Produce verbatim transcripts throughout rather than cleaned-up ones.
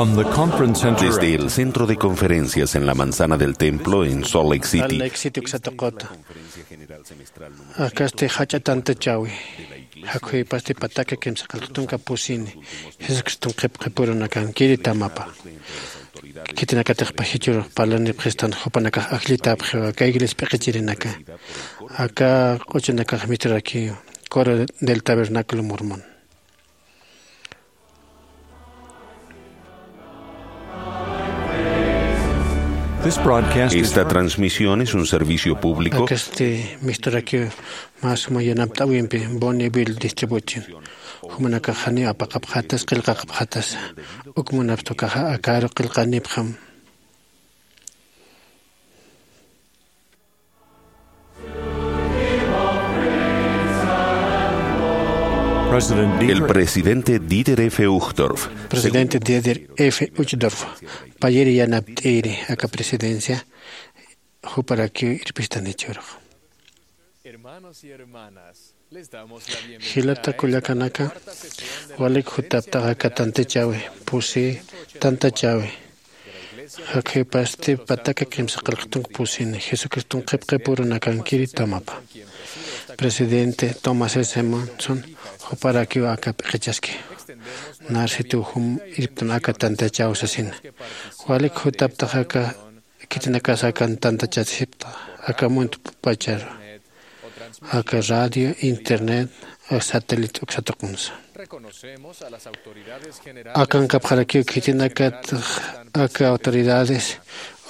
From the Conference Center. Desde el Centro de Conferencias en la Manzana del Templo en Salt Lake City. Salt Lake City uksa tuqita. Akasti jach'a tantachäwi. Jakhuypasti pataka kimsa qillqtunka pusini. Jesucriston qhipqipurunakankiri tamapa. Khitinakatixpa jichhürux parlanipxistan jupanakax ajllitäpxiwa aka iglesia p'iqichirinaka. Aka q'uchunakax misturakï Coro del Tabernáculo Mormón. This broadcast is Esta transmisión es un servicio público. Akasti misturakiw mä suma yanapt'äwimpi Bonneville Distribution. Jumanakax janiw apaqapxätasa, qillqaqapxätasa. Uk munapxta ukaxa akaru qillqanipxam. President El Dieter presidente Dieter F. Uchtdorf. Presidente Dieter F. Uchtdorf. Payiri yanapt'iri aka presidencia juparakiw irpistani jichhürux. Hermanos y hermanas, jilata kullakanaka, walik jutaptax aka tantachäwi, pusi tantachäwi. Jakhuypasti pataka kimsa qillqtunka pusini, Jesucriston qhipqipurunakankiri tamapa. Presidente Thomas S. Monson, juparakiw aka p'iqichaski. Narsituw jum irptan aka tantachäw sasina. Walik jutaptax aka Khitinakas akan tantachasipxta, aka muntpacharu, aka radio, internet, aka satélite uksa tuqinsa. Akankapxarakiw khitinakat aka autoridades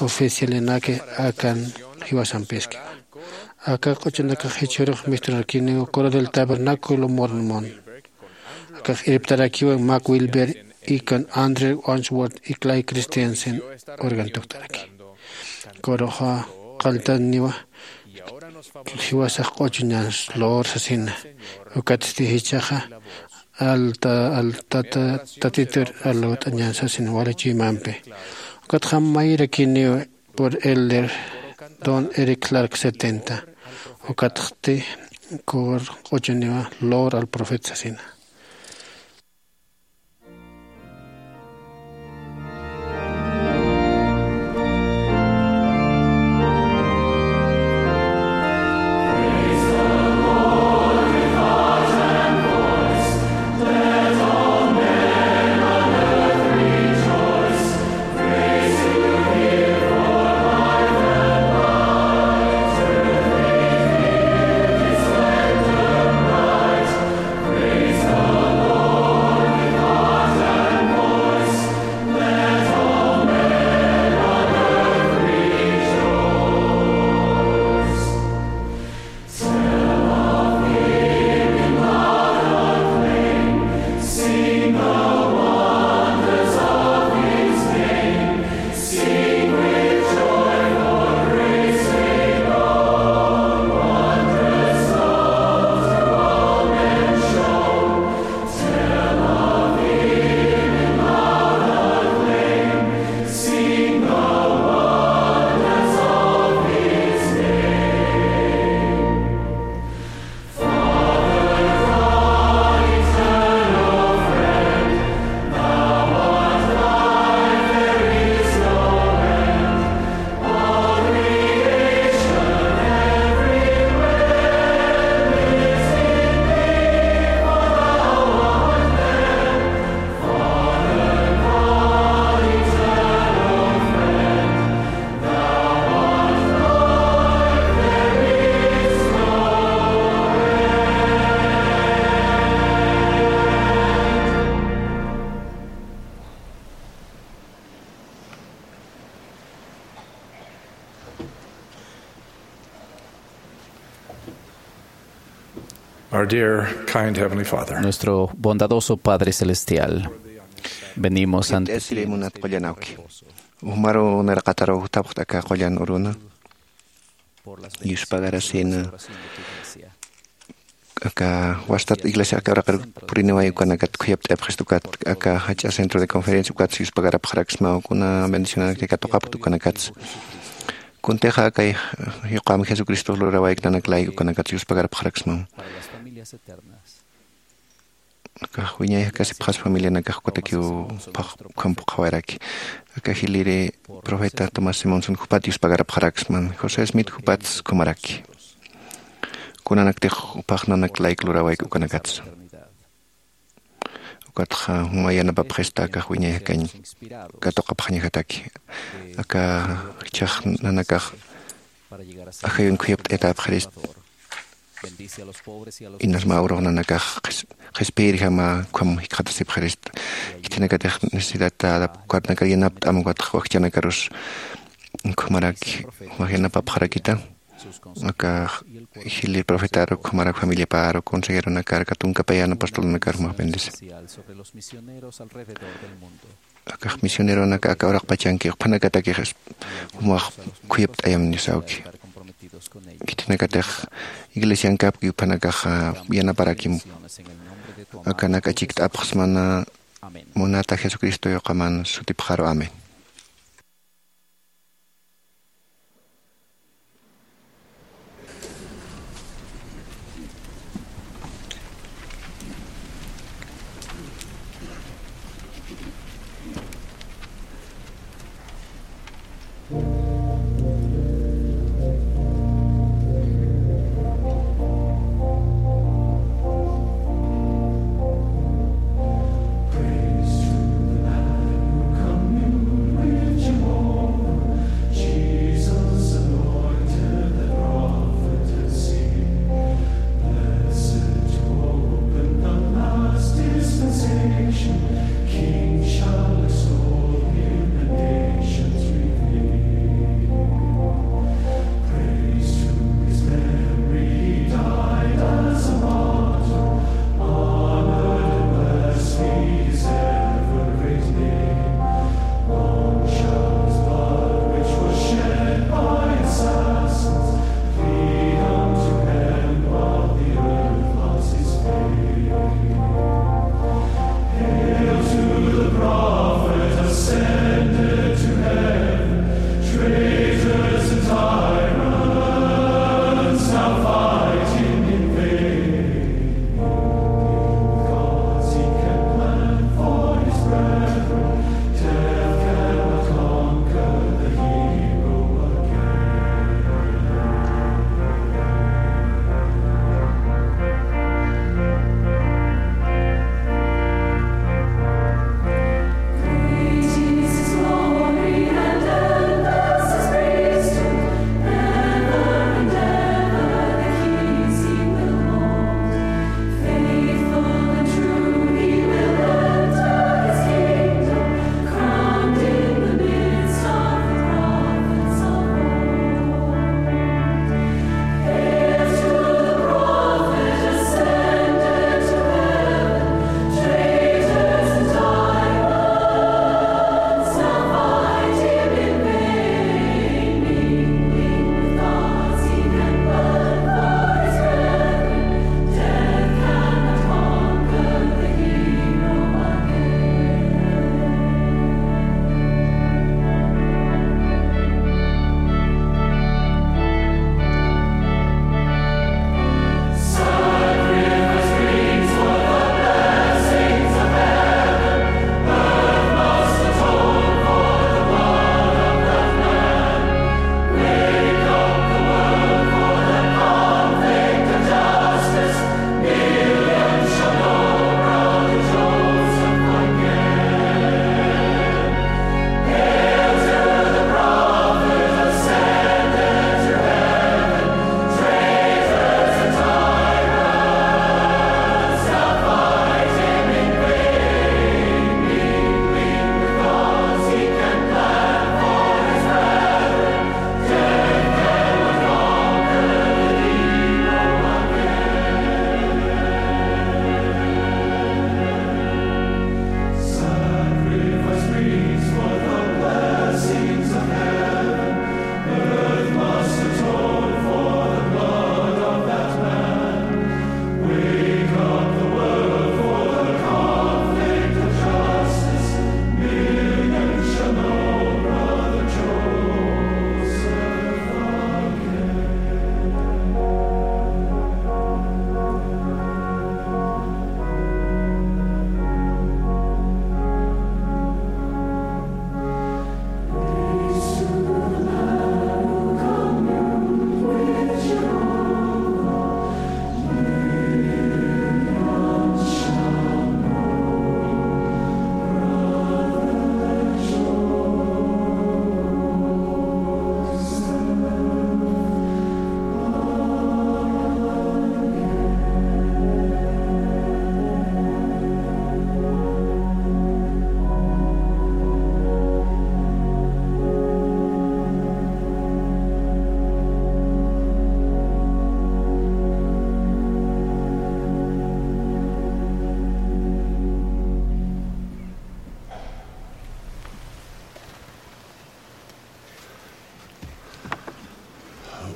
oficialinaki akan jiwasampiskiwa. Aka q'uchunakax jichhürux misturakiniw Coro del Tabernáculo Mormón. Akax irptarakiwa Mac Wilberg y con Andrew Unsworth y Clay Christensen organ tuktaraki. Coroxa qalltaniwa jiwasax q'uchuñans lor sasina. Ukatsti jichhaxa alta, altata, tatitur alawt'añan sasina wali chuymampi. Ukatxa mayrakiniwa por Elder Don Eric Clark setenta. Ukatxti Coro q'uchuniwa Lor al Profeta sasina. Our dear, kind Heavenly Father. Nuestro bondadoso Padre Celestial, venimos ante ti. Munat qullan awki. Umaru niraqataru jutapxta aka qullan uruna. Yuspagarasina. Aka wastat iglesia aka uraqir puriniway ukanakat khuyapt'ayapxista ukat aka jach'a centro de conferencia ukat yuspagarapxaraksma kuna bendicionanakti katuqapxta ukanakatsa. Kuntixa aka yuqam Jesucristo lurawayk nanak layk ukanakatsa yuspagarapxaraksma. Akax wiñay jakasipxas familianakax ukatakiw phax ukham phuqhawaraki. Aka jiliri profeta Thomas Simonson jupat yuspagarapxaraksman, José Smith jupats ukhamaraki. Kunanaktix uphax nanak layk lurawayki ukanakatsa. Ukatxa juma yanapapxista akax wiñay jakañ katuqapxañajataki. Aka jichhax nanakax ajayun khuyapt'ayatäpxirist. Inas mä urux nanakax qhis-, qhispiyirjama ukham jikxatasipxirist. Khitinakatix necesidadta adap-, ukatnakar yanapt'am ukatxa wakchanakarus ukhamaraki, jumax yanapapxarakita. Aka jili profetar ukhamarak familiapar, consejeronakar, aka tunkapayän apostolnakar jumax bendice. Akax misioneronaka aka uraqpachanki, juphanakatakix jumax khuyapt'ayam nisawki. Khitinakatix iglesiankapki juphanakax yanaparakim. Akanak achikt'apxsmana munata Jesucristo yuqaman sutipxaru. Amén.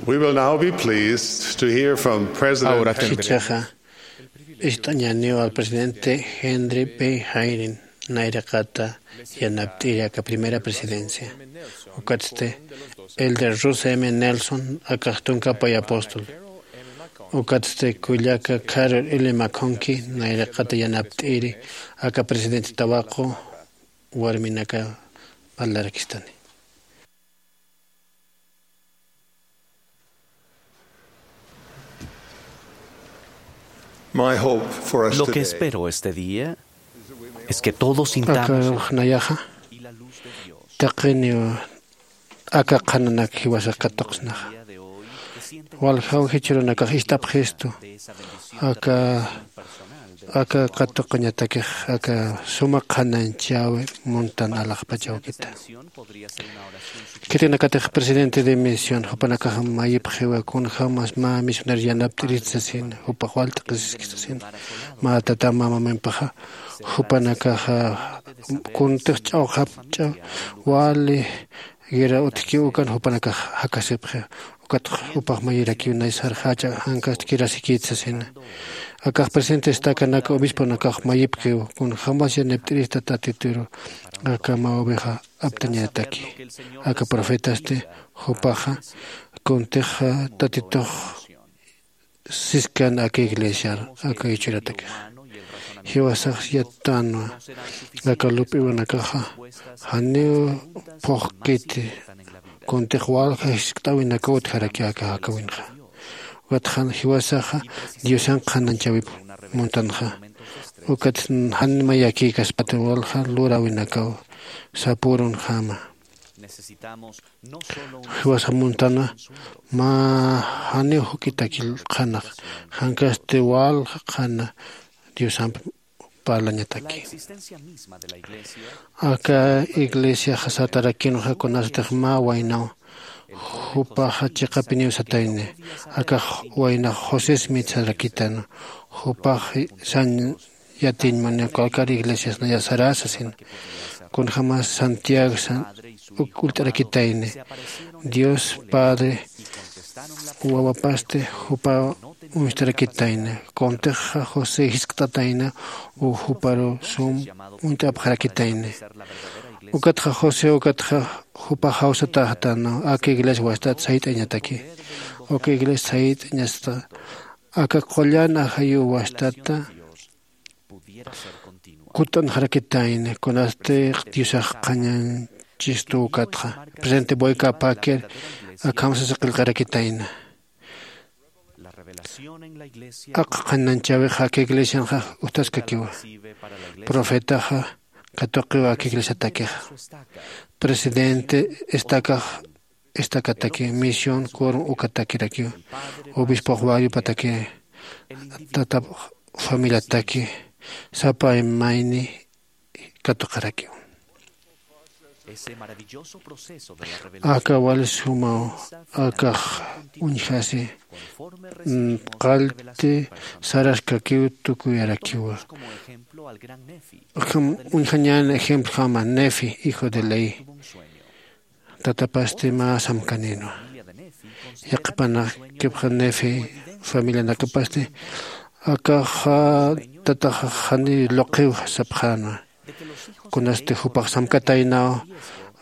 We will now be pleased to hear from President Ahora Henry. Jichhaxa ist'añäniw al presidente Henry B. Hayden nayraqata yanapt'iri aka primera presidencia. Ukatsti Elder Russell M. Nelson akax tunka pay apóstol. Ukatsti kullaka Carol L. McConkie nayraqata yanapt'iri aka presidente tawaqu warminaka parlarakistani. My hope for us Lo que today espero este día es que todos sintamos Akax nayaxa taqiniw aka qhananak jiwasax katuqsnaxa. Waljaw jichhürunakax ist'apxistu aka aka katuqañatakix aka suma qhanañchäwi muntan alaxpach awkita. Khitinakatix presidente de misión jupanakax mayipxiwa kunjämas mä misionero yanapt'irït sasina jupax wal t'aqhisiskis sasina. Mä tata mä mamampaxa jupanakaxa kuntix ch'awxapch'a wali guerra utjkiw ukan jupanakax jakasipxi. Ukatxa jupax mayirakiw nay sarxächa jankast kirasikït sasina. Akax presidente estakanaka obisponakax mayipkiw kunjämas yanapt'irista tatituru aka mä oveja aptañataki. Aka profetasti jupaxa kuntix tatitux siskan aka iglesiar aka jichhüratakix. Jiwasax yattänwa aka lup'iwanakaxa janiw phuqkiti kuntix walja jiskt'äwinakaw utjaraki aka jakawinxa. Ukatxa jiwasaxa Diosan qhanañchäwip muntanxa. Ukat jan mayakïkaspati walja luräwinakaw sapürunjama. Jiwasax muntanwa mä janiw juk'itaki qhanax jankasti walja qhana Diosamp parlañataki. Aka iglesiaxa satarakinxa kunasatix mä waynaw jupaxa chiqapiniw satayni. Akax waynax Josés mitsarakitänwa. Jupax sañ yatiñ muni cualquier iglesias naya saräsasina. Kunjämas Santiagosa uk ullt'arakitayni. Dios Padre wawapasti jupa uñstarakitayni. Kuntixa José jiskt'atayna u juparu sum uñt'apxarakitayni. Ukatxa José ukatxa jupax jawsatäxatänwa aka iglesia wastat sayt'añataki. Uka iglesia sayt'añasta aka qullan ajayu wastata kut'anxarakitayna kunasti Diosax qhañanchistu ukatxa. Presidente Boyka Packer akham sasa qillqarakitayna. Aka qhanañchäwix aka iglesianxa ujtaskakiwa. Profetaxa katuqiwa aka iglesiatakixa. Presidente estakax estakataki misión kurum ukatakirakiw. Obispox wayupataki tatap familiataki sapa mayni katuqarakiw. Aka wali sumaw akax uñjasi qallti saraskakiw tukuyarakiwa. Uñjañän ejemplojama Nefi hijo de Lehi. Tatapasti mä samkanïnwa. Yaqhipanakipxa Nefi familianakapasti akaxa tataxa janiw luqiw sapxänwa. Kunasti jupax samkataynaw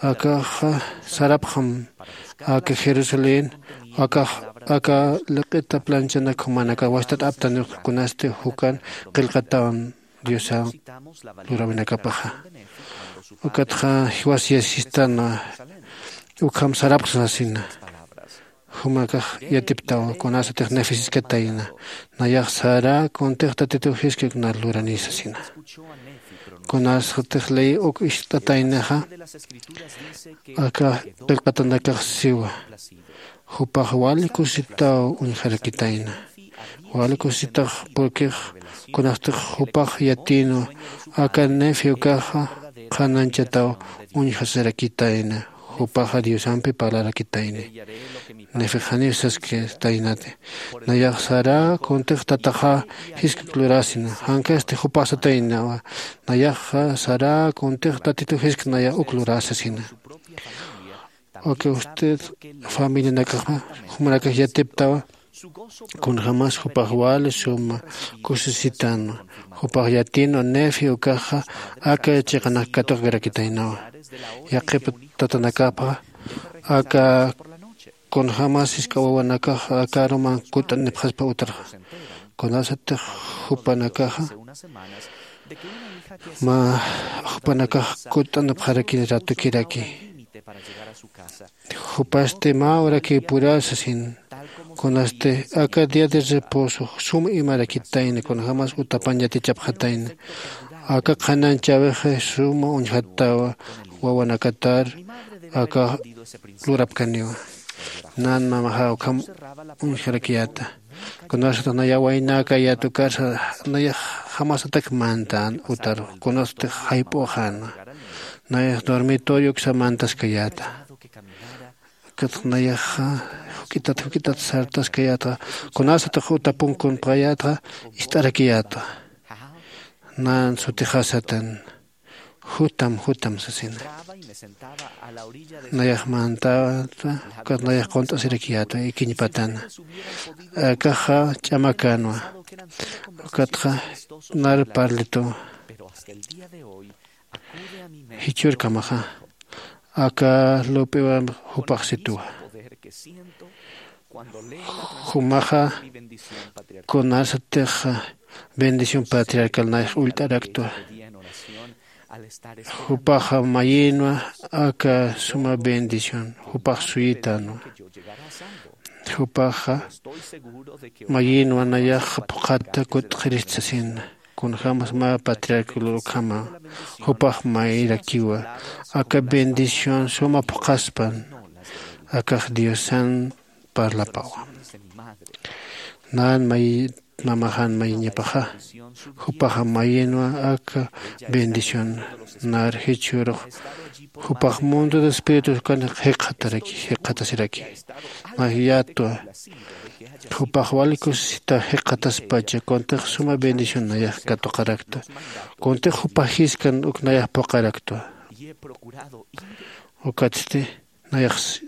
akaxa sarapxam aka Jerusalén akax aka liq'ita planchanak jumanaka wastat aptanix kunasti jukan qillqatawan Diosan luräwinakapaxa. Ukatxa jiwas yasistanwa ukham sarapxsasina. Jumakax yatiptawa kunasatix Nefi siskatayna. Nayax sara kuntix Tatitux jiskik na lurani sasina. Kunasatix Lehi uk ist'ataynaxa aka qillqatanakax siwa. Jupax wali kusitaw uñjarakitayna. Wali kusitax purkix kunastix jupax yatïnwa aka Nefi ukaxa qhanañchataw uñjasarakitayna. Jupaxa Diosampi parlarakitayni. Nefix janiw sasktaynati. Nayax sara kuntix tataxa jiskik lurasina. Jankasti jupax sataynawa. Nayaxa sara kuntix Tatitux jiskik nayax uk lurasasina. Uka usted familianakaxma jumanakax yatiptawa. Kunjämas jupax wali suma kusisitanwa. Jupax yatinwa nefi ukaxa aka chiqanak katuqkarakitaynawa. Yaqhip tatanakapxa aka kunjämas jisk'a wawanakax aka aruman kutt'anipxaspa utarxa. Kunasatix jupanakaxa mä jupanakax kutt'anipxarakini ratukiraki. Jupasti mä urakiw purasa sin. Kunasti aka día de reposo sum imarakitayna kunjämas utapan yatichapxatayna. Aka qhanañchäwixi suma uñjattawa wawanakatar aka lurapkaniwa. Nan mamaxaw ukham uñjarakiyäta. Kunasatix nayax waynäkayät ukarsa nayax jamasatak mantän utar kunasatix jayp'uxäna. Nayax dormitorio uksa mantaskayäta. Ukatx nayaxa juk'itat juk'itat sartaskayätxa. Kunasatix utapun kunpxayätxa ist'arakiyätxa. Nan sutixasatan jutam jutam sasina. Nayax mantäta ukat nayax qunt'asirakiyätwa ikiñ patana. Akaxa ch'amakänwa. Ukatxa nar parlituwa. Jichhürkamaxa aka lup'iwam jupax situwa. Jumaxa kunasatix bendición patriarcal nayax ullt'araktwa. Jupaxa mayinwa aka suma bendición jupax suyitänwa. Jupaxa mayinwa nayax phuqhata kut'xirist sasina. Kunjämas mä patriarca lurkhama jupax mayrakiwa. Aka bendición suma phuqhaspan akax diosan parlapawa. Nan may mamaxan mayiñapaxa jupaxa mayinwa aka bendición nar jichhürux jupax mundo de espíritus kan jikxataraki jikxatasiraki. Nax yatwa jupax wali kusisita jikxataspacha kuntix suma bendición nayax katuqaraktwa. Kuntix jupax jiskan uk nayax phuqaraktwa. Ukatsti nayax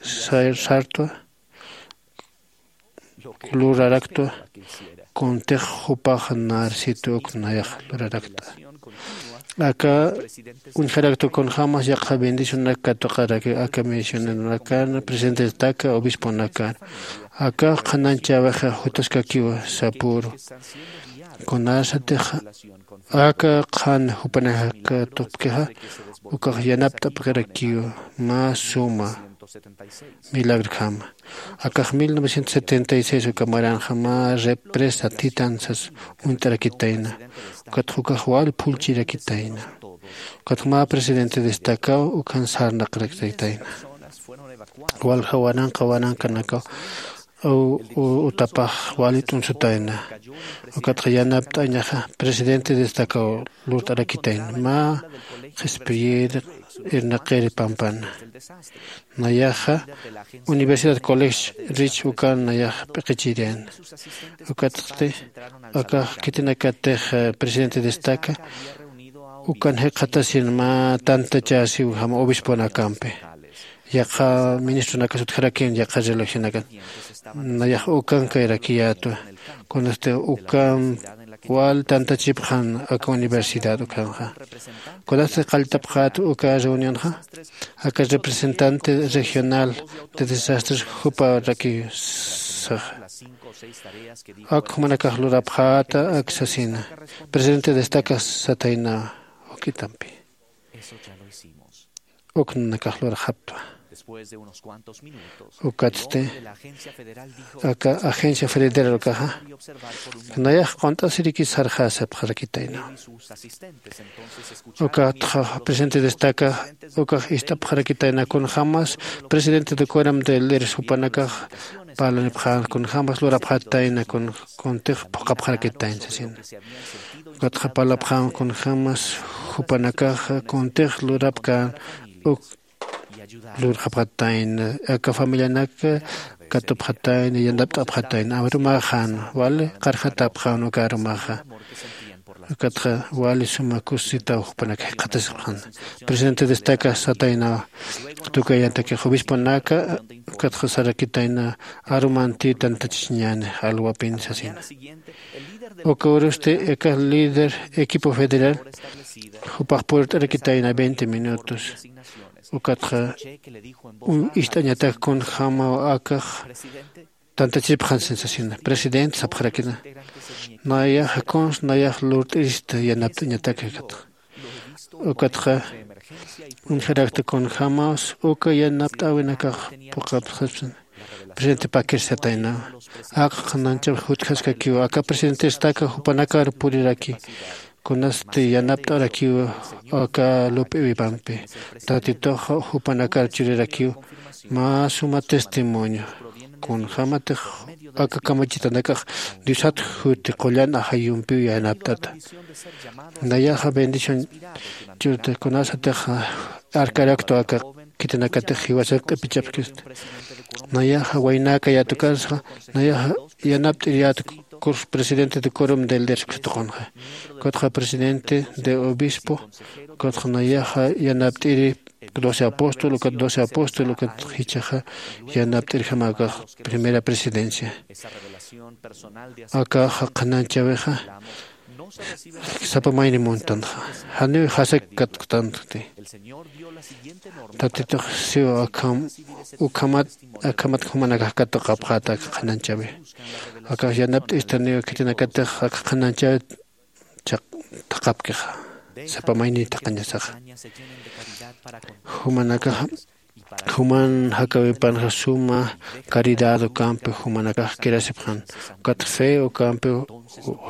sartwa luraraktwa. Kuntix jupax narsitu uk nayax luraraktwa. Aka uñjaraktwa kunjämas yaqha bendicionanak katuqaraki aka misioneronakan presidentestaka obisponakan. Aka qhanañchäwixa jutaskakiwa sapüru. Kunasatix aka qhan jupanakatupkixa ukax yanapt'apkarakiwa mä suma milagrjama. Akax mil novecientos setenta y seis uka maranxa mä represa titan sas uñt'arakitayna. Ukatxa ukax wal phullchirakitayna. Ukatxa mä presidente destacaw ukan sarnaqrakitayna. Walja waranqa waranqanakaw utapax wali t'unsutayna. Ukatxa yanapt'añaxa presidente destacaw lurt'arakitayna mä qhispiyir irnaqir pampana. Nayaxa universidad college rich ukan nayax p'iqichiriyana. Ukatxti akax khitinakatix presidente destaca ukan jikxatasin mä tantachäsiw jama obisponakampi. Yaqha ministronakas utjarakin yaqha religionakan nayax ukan kayrakiyätwa. Kunasti ukan wal tantachipxan aka universidad ukanxa. Kunasti qalltapxät uka reunionxa aka representante regional de desastres juparakisaxa. Ak jumanakax lurapxäta ak sasina presidente destaca satayna. Juk'itampi uk nanakax lurxaptwa. Ukatsti aka agencia federal ukaxa nayax qunt'asiriki sarxasipxarakitayna. Ukatxa presidente destaca ukax ist'apxarakitayna kunjämas presidente de cueram de leres jupanakax parlanipxän kunjämas lurapxatayna kuntix phuqhapxarakitayna sasina. Ukatxa parlapxän kunjämas jupanakaxa kuntix lurapkän uk lurxapxatayna aka familianak katupxatayna yanapt'apxatayna arumaxän wali qarxatapxän uka arumaxa. Ukatxa wali suma kusisitaw jupanaka jikxatasipxan. Presidente destaca sataynawa, tukayantakix obisponaka ukatxa sarakitayna arumanti tantachasiñäni alwapin sasina. Uka urusti aka líder equipo federal jupax purt'arakitayna veinte minutos. Ukatxa ist'añatak kunjämaw akax tantachipxan sensasina. Presidente sapxarakina, nayaxa kuns nayax lurt'irista yanapt'añatak akatxa. Ukatxa uñjarakta kunjämaws uka yanapt'äwinakax phuqhapxaspan. Presidente pakir sataynawa, aka qhananchaw jutjaskakiw aka presidentestaka jupanakar puriraki, kunasti yanapt'arakiw aka lup'iwipampi. Tatitux jupanakar churirakiw mä suma testimonio kunjämatix aka kamachitanakax diosat juti qullan ajayumpiw yanapt'ata. Nayaxa bendición churta kunasatix arkaraktu aka khitinakatix jiwasar q'ipichapkista. Nayaxa waynaka yatukarsa nayaxa yanapt'ir yatukur presidente de quorum de líderes katuqunxa, ukatxa presidente de obispo, ukatxa nayaxa yanapt'iri doce apóstol ukat doce apóstol ukat jichhaxa yanapt'irjama akax primera presidencia. Akaxa qhananchäwixa sapa mayni muntanxa, janiw jasak katktanti. Tatitux siw akham ukhamat akhamat jumanakax katuqapxäta aka qhananchäwi. Akax yanapt'istaniw khitinakatix aka qhananchäwi thaqapkixa sapa mayni thaqañasaxa. Jumanakaxa juman jakäwipanxa suma caridad ukampi jumanakax kirasipxan, ukat fe ukampi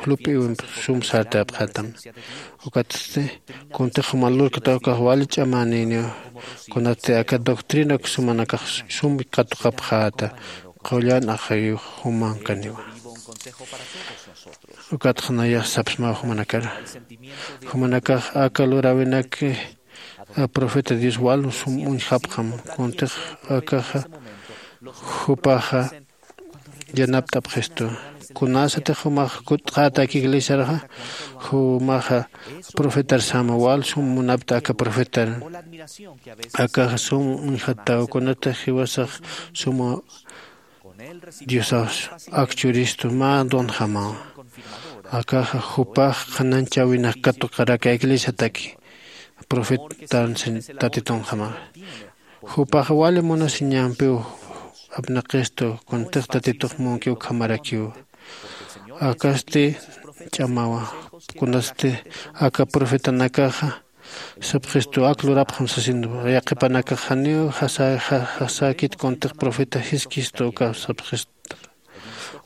lup'iwimpi sum sartapxätam. Ukatsti kuntix juman lurkta ukax wali ch'amänïniw, kunatsti aka doctrina uk sumanakax sum katuqapxäta qullan ajayux jumankaniwa. Ukatxa nayax sapsmaw jumanakar, jumanakax aka luräwinaki profeta dios wal sum uñjapxam. Kuntix akaxa jupaxa yanapt'apxistu. Kunasatix jumax kutt'xätak iglesiarxa jumaxa profetar sama wal sum munapta aka profetar. Akaxa sum uñjattaw kunatix jiwasax suma diosax akchuristu mä donjamaw. Akaxa jupax qhananchäwinak katuqaraka iglesiataki profetan tatitunjamaw. Jupax wali munasiñampiw apnaqistu kuntix tatitux munki ukhamarakiw. Akasti ch'amawa kunasti aka profetanakaxa sapxistu ak lurapxam sasin, yaqhipanakax janiw jasäkit kuntix profeta jiskistu uka sapxista.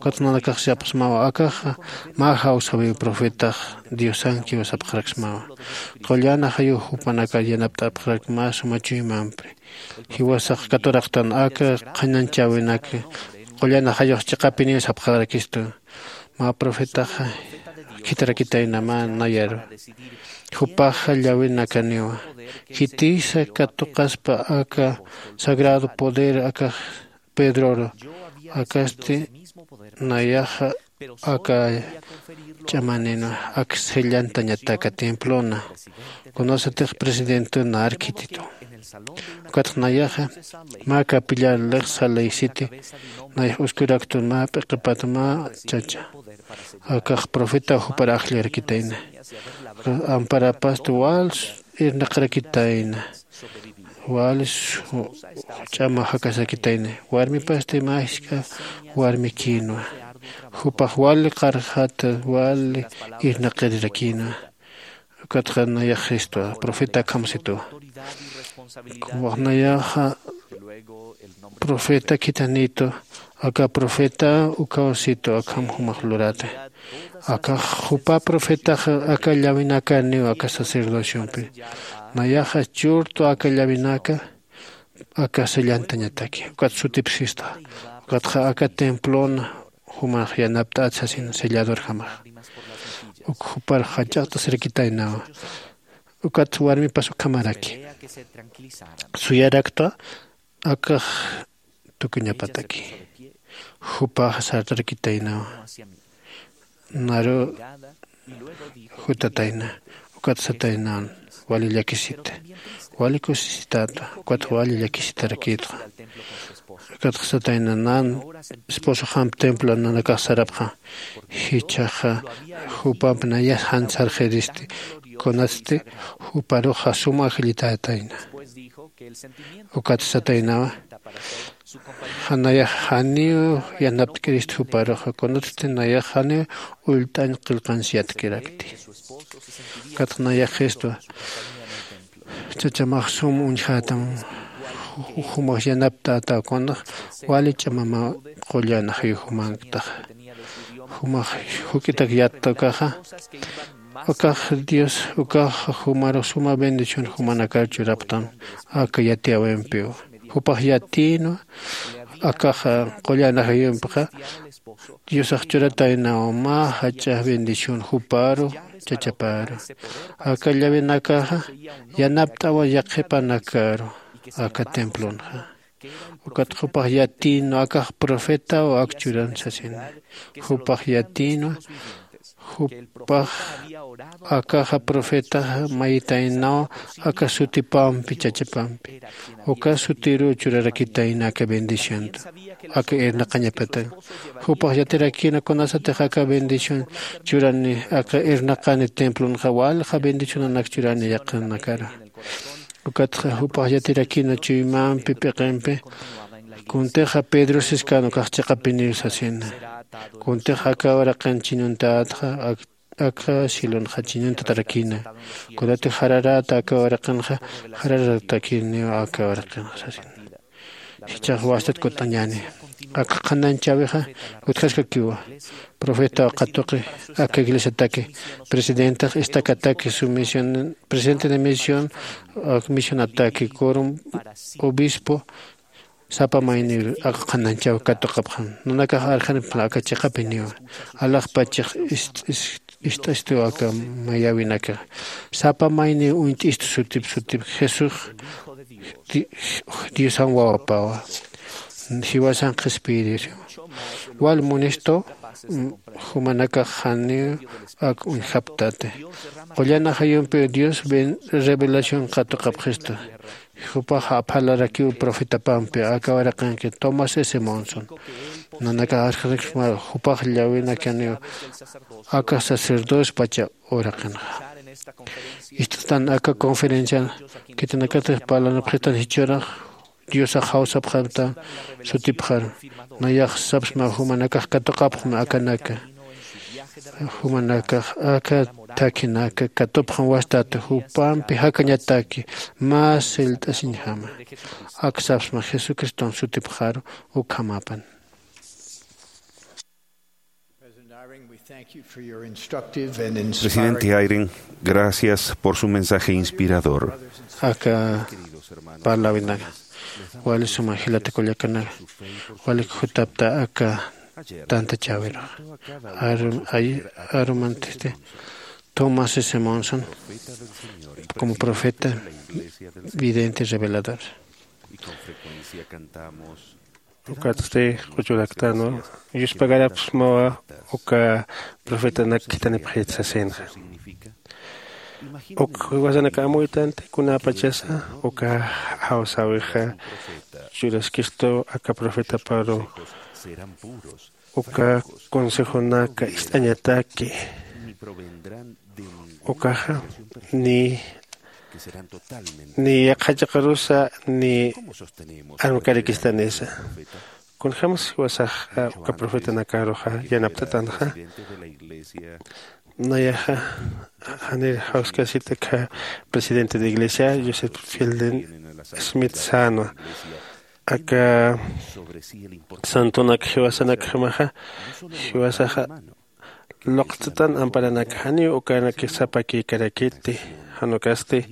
Ukat nanakax sapxsmawa akaxa mä jawsawiw profetax diosankiw sapxaraksmawa. Qullan ajayux jupanakar yanapt'apxarak mä suma chuymampi. Jiwasax katuraqtan aka qhananchäwinak qullan ajayux chiqapiniw sapxarakistu. Mä profetaxa khitirakitäyna mä nayaru. Jupaxa llawinakaniwa khitisa katuqaspa aka sagrado poder aka pedroru. Akasti nayaxa aka ch'amanina ak sellantañataka templona kunasatix presidente nar khititu. Ukatx nayaxa mä capillar lixsa laysiti nayax uskuraktu mä p'iqipat mä chacha akax profeta jupar ajllarakitayna. Amparapasti wal irnaqarakitayna wal ch'ama jakasakitayna. Warmipasti mä jisk'a warmikïnwa jupax wali qarjata wali irnaqirirakïnwa. Ukatxa nayax jistwa profeta akhamsitwa. Nayaxa profeta khithanitu aka profeta ukhawsitu akham jumax lurata. Akax jupa profetaxa aka llawinakaniw aka sacerdociompi. Nayaxa churtu aka llawinaka aka sellantañataki ukat sutipsista. Ukatxa aka templona jumax yanapt'at sasin selladorjamax. Uk jupar jach'aqt'asirakitaynawa. Ukat warmipas ukhamaraki suyaraktwa akax tukuñapataki. Jupax sartarakitaynawa naru Jutatayna. Ukat sataynan wali llakisita, wali kusisitätwa, ukat wali llakisitarakïtwa. Ukat satayna nan esposoxamp templo nanakax sarapxa, jichhaxa jupamp nayas jan sarxiristi, kunatsti juparuxa sum ajllitätayna. Ukat sataynawa, janayax janiw yanapt'kirist juparuxa, kunatsti nayax janiw ullt'añ qillqañs yatkirakti. Ukat nayaxistwa, chachamax sum uñjätam, jumax yanaptätaw, kunax wali ch'amama qullan ajayux jumanktaxa. Jumax juk'itak yatta ukaxa, ukax Dios, ukax jumarux suma bendición jumanakar churapxtam aka yatiyäwimpiw. Jupax yatïnwa, akaxa qullan ajayumpixa Diosax churataynaw mä jach'a bendición juparu, chachaparu. Aka llawinakaxa yanapt'awa yaqhipanakaru aka templonxa. Ukat jupax yatïnwa, akax profetaw ak churan sasina. Jupax yatïnwa, jupax akaxa profetaxa mayitaynaw aka sutipampi, chachapampi. Uka sutiruw churarakitayna aka bendicionta, aka irnaqañapatan. Jupax yatirakïna kunasatix aka bendición churani, aka irnaqani templonxa, walja bendicionanak churani yaqhanakara. Ukatxa jupax yatirakïna chuymampi, p'iqimpi, kuntixa Pedro siskan ukax chiqapiniw sasina. Kuntixa aka uraqin chiñuntätxa, ak-, aka cielonxa chiñuntatarakïna. Kunatix jararäta aka uraqinxa, jararatakïniw aka uraqinxa sasina. Jichhax wastat kut'añäni. Aka qhanañchäwixa utjaskakiwa. Profetaw qhatuqi aka iglesiataki, presidentex istakataki, sumisión, presidente de misión, ak misionataki, quorum, obispo, sapa mayniw aka qhanañchäwi katuqapxam. Nanakax arxanipxla aka chiqapiniwa. Alaxpachix ist-, ist-, ist'astiw aka mayäwinakax. Sapa mayniw uñt'istu sutip sutip Jesús Di-, Diosan wawapawa. Jiwasan qhispiyirisiwa. Wal munistu, mm, jumanakax janiw ak uñjapktati. Qullan ajayumpiw Dios ben-, revelación katuqapxistu. Jupax aphalarakiw profetapampi, aka uraqinki Thomas S. Monson. Nanakax arxanipxsma jupax llawinakaniw aka sacerdotes pacha uraqinxa. Ist'tan aka conferencian khitinakatix parlanapxistan jichhürax Diosax jawsapxamta sutipxaru. Nayax sapxsma jumanakax katuqapxmi akanaka. Jumanakax aka thakhinaka katupxam wastati jupampi jakañataki mä sillt'asiñjama. Ak sapxsma Jesucriston sutipxaru ukhamapan. Presidente Eyring, we thank you for your instructive and inspiring Presidente Eyring, gracias por su mensaje inspirador. Aka parlawinaka wali suma jilata kullakanaka, walik jutapta aka tantachäwirux. Arum-, ay-, arumantisti Thomas S. Monson como profeta, vidente, revelador. Ukatsti quchuraktanwa, yuspagarapxsmawa uka profetanak khitinipxit sasinxa. Uk jiwasanak amuytanti kunapachasa uka jawsäwixa churaskistu aka profetaparu, uka consejonaka ist'añataki, ukaxa ni, ni yaqha chiqarusa ni armkarikistanisa. Kunjämas jiwasax uka profetanakaruxa yanapt'atanxa. Nayaxa janir jawskasita aka presidente de iglesia, Joseph Fielding Smith sänwa. Aka santonak jiwasanakjamaxa, jiwasaxa luqt'tan amparanak janiw ukanak sapakïkarakiti, jan ukasti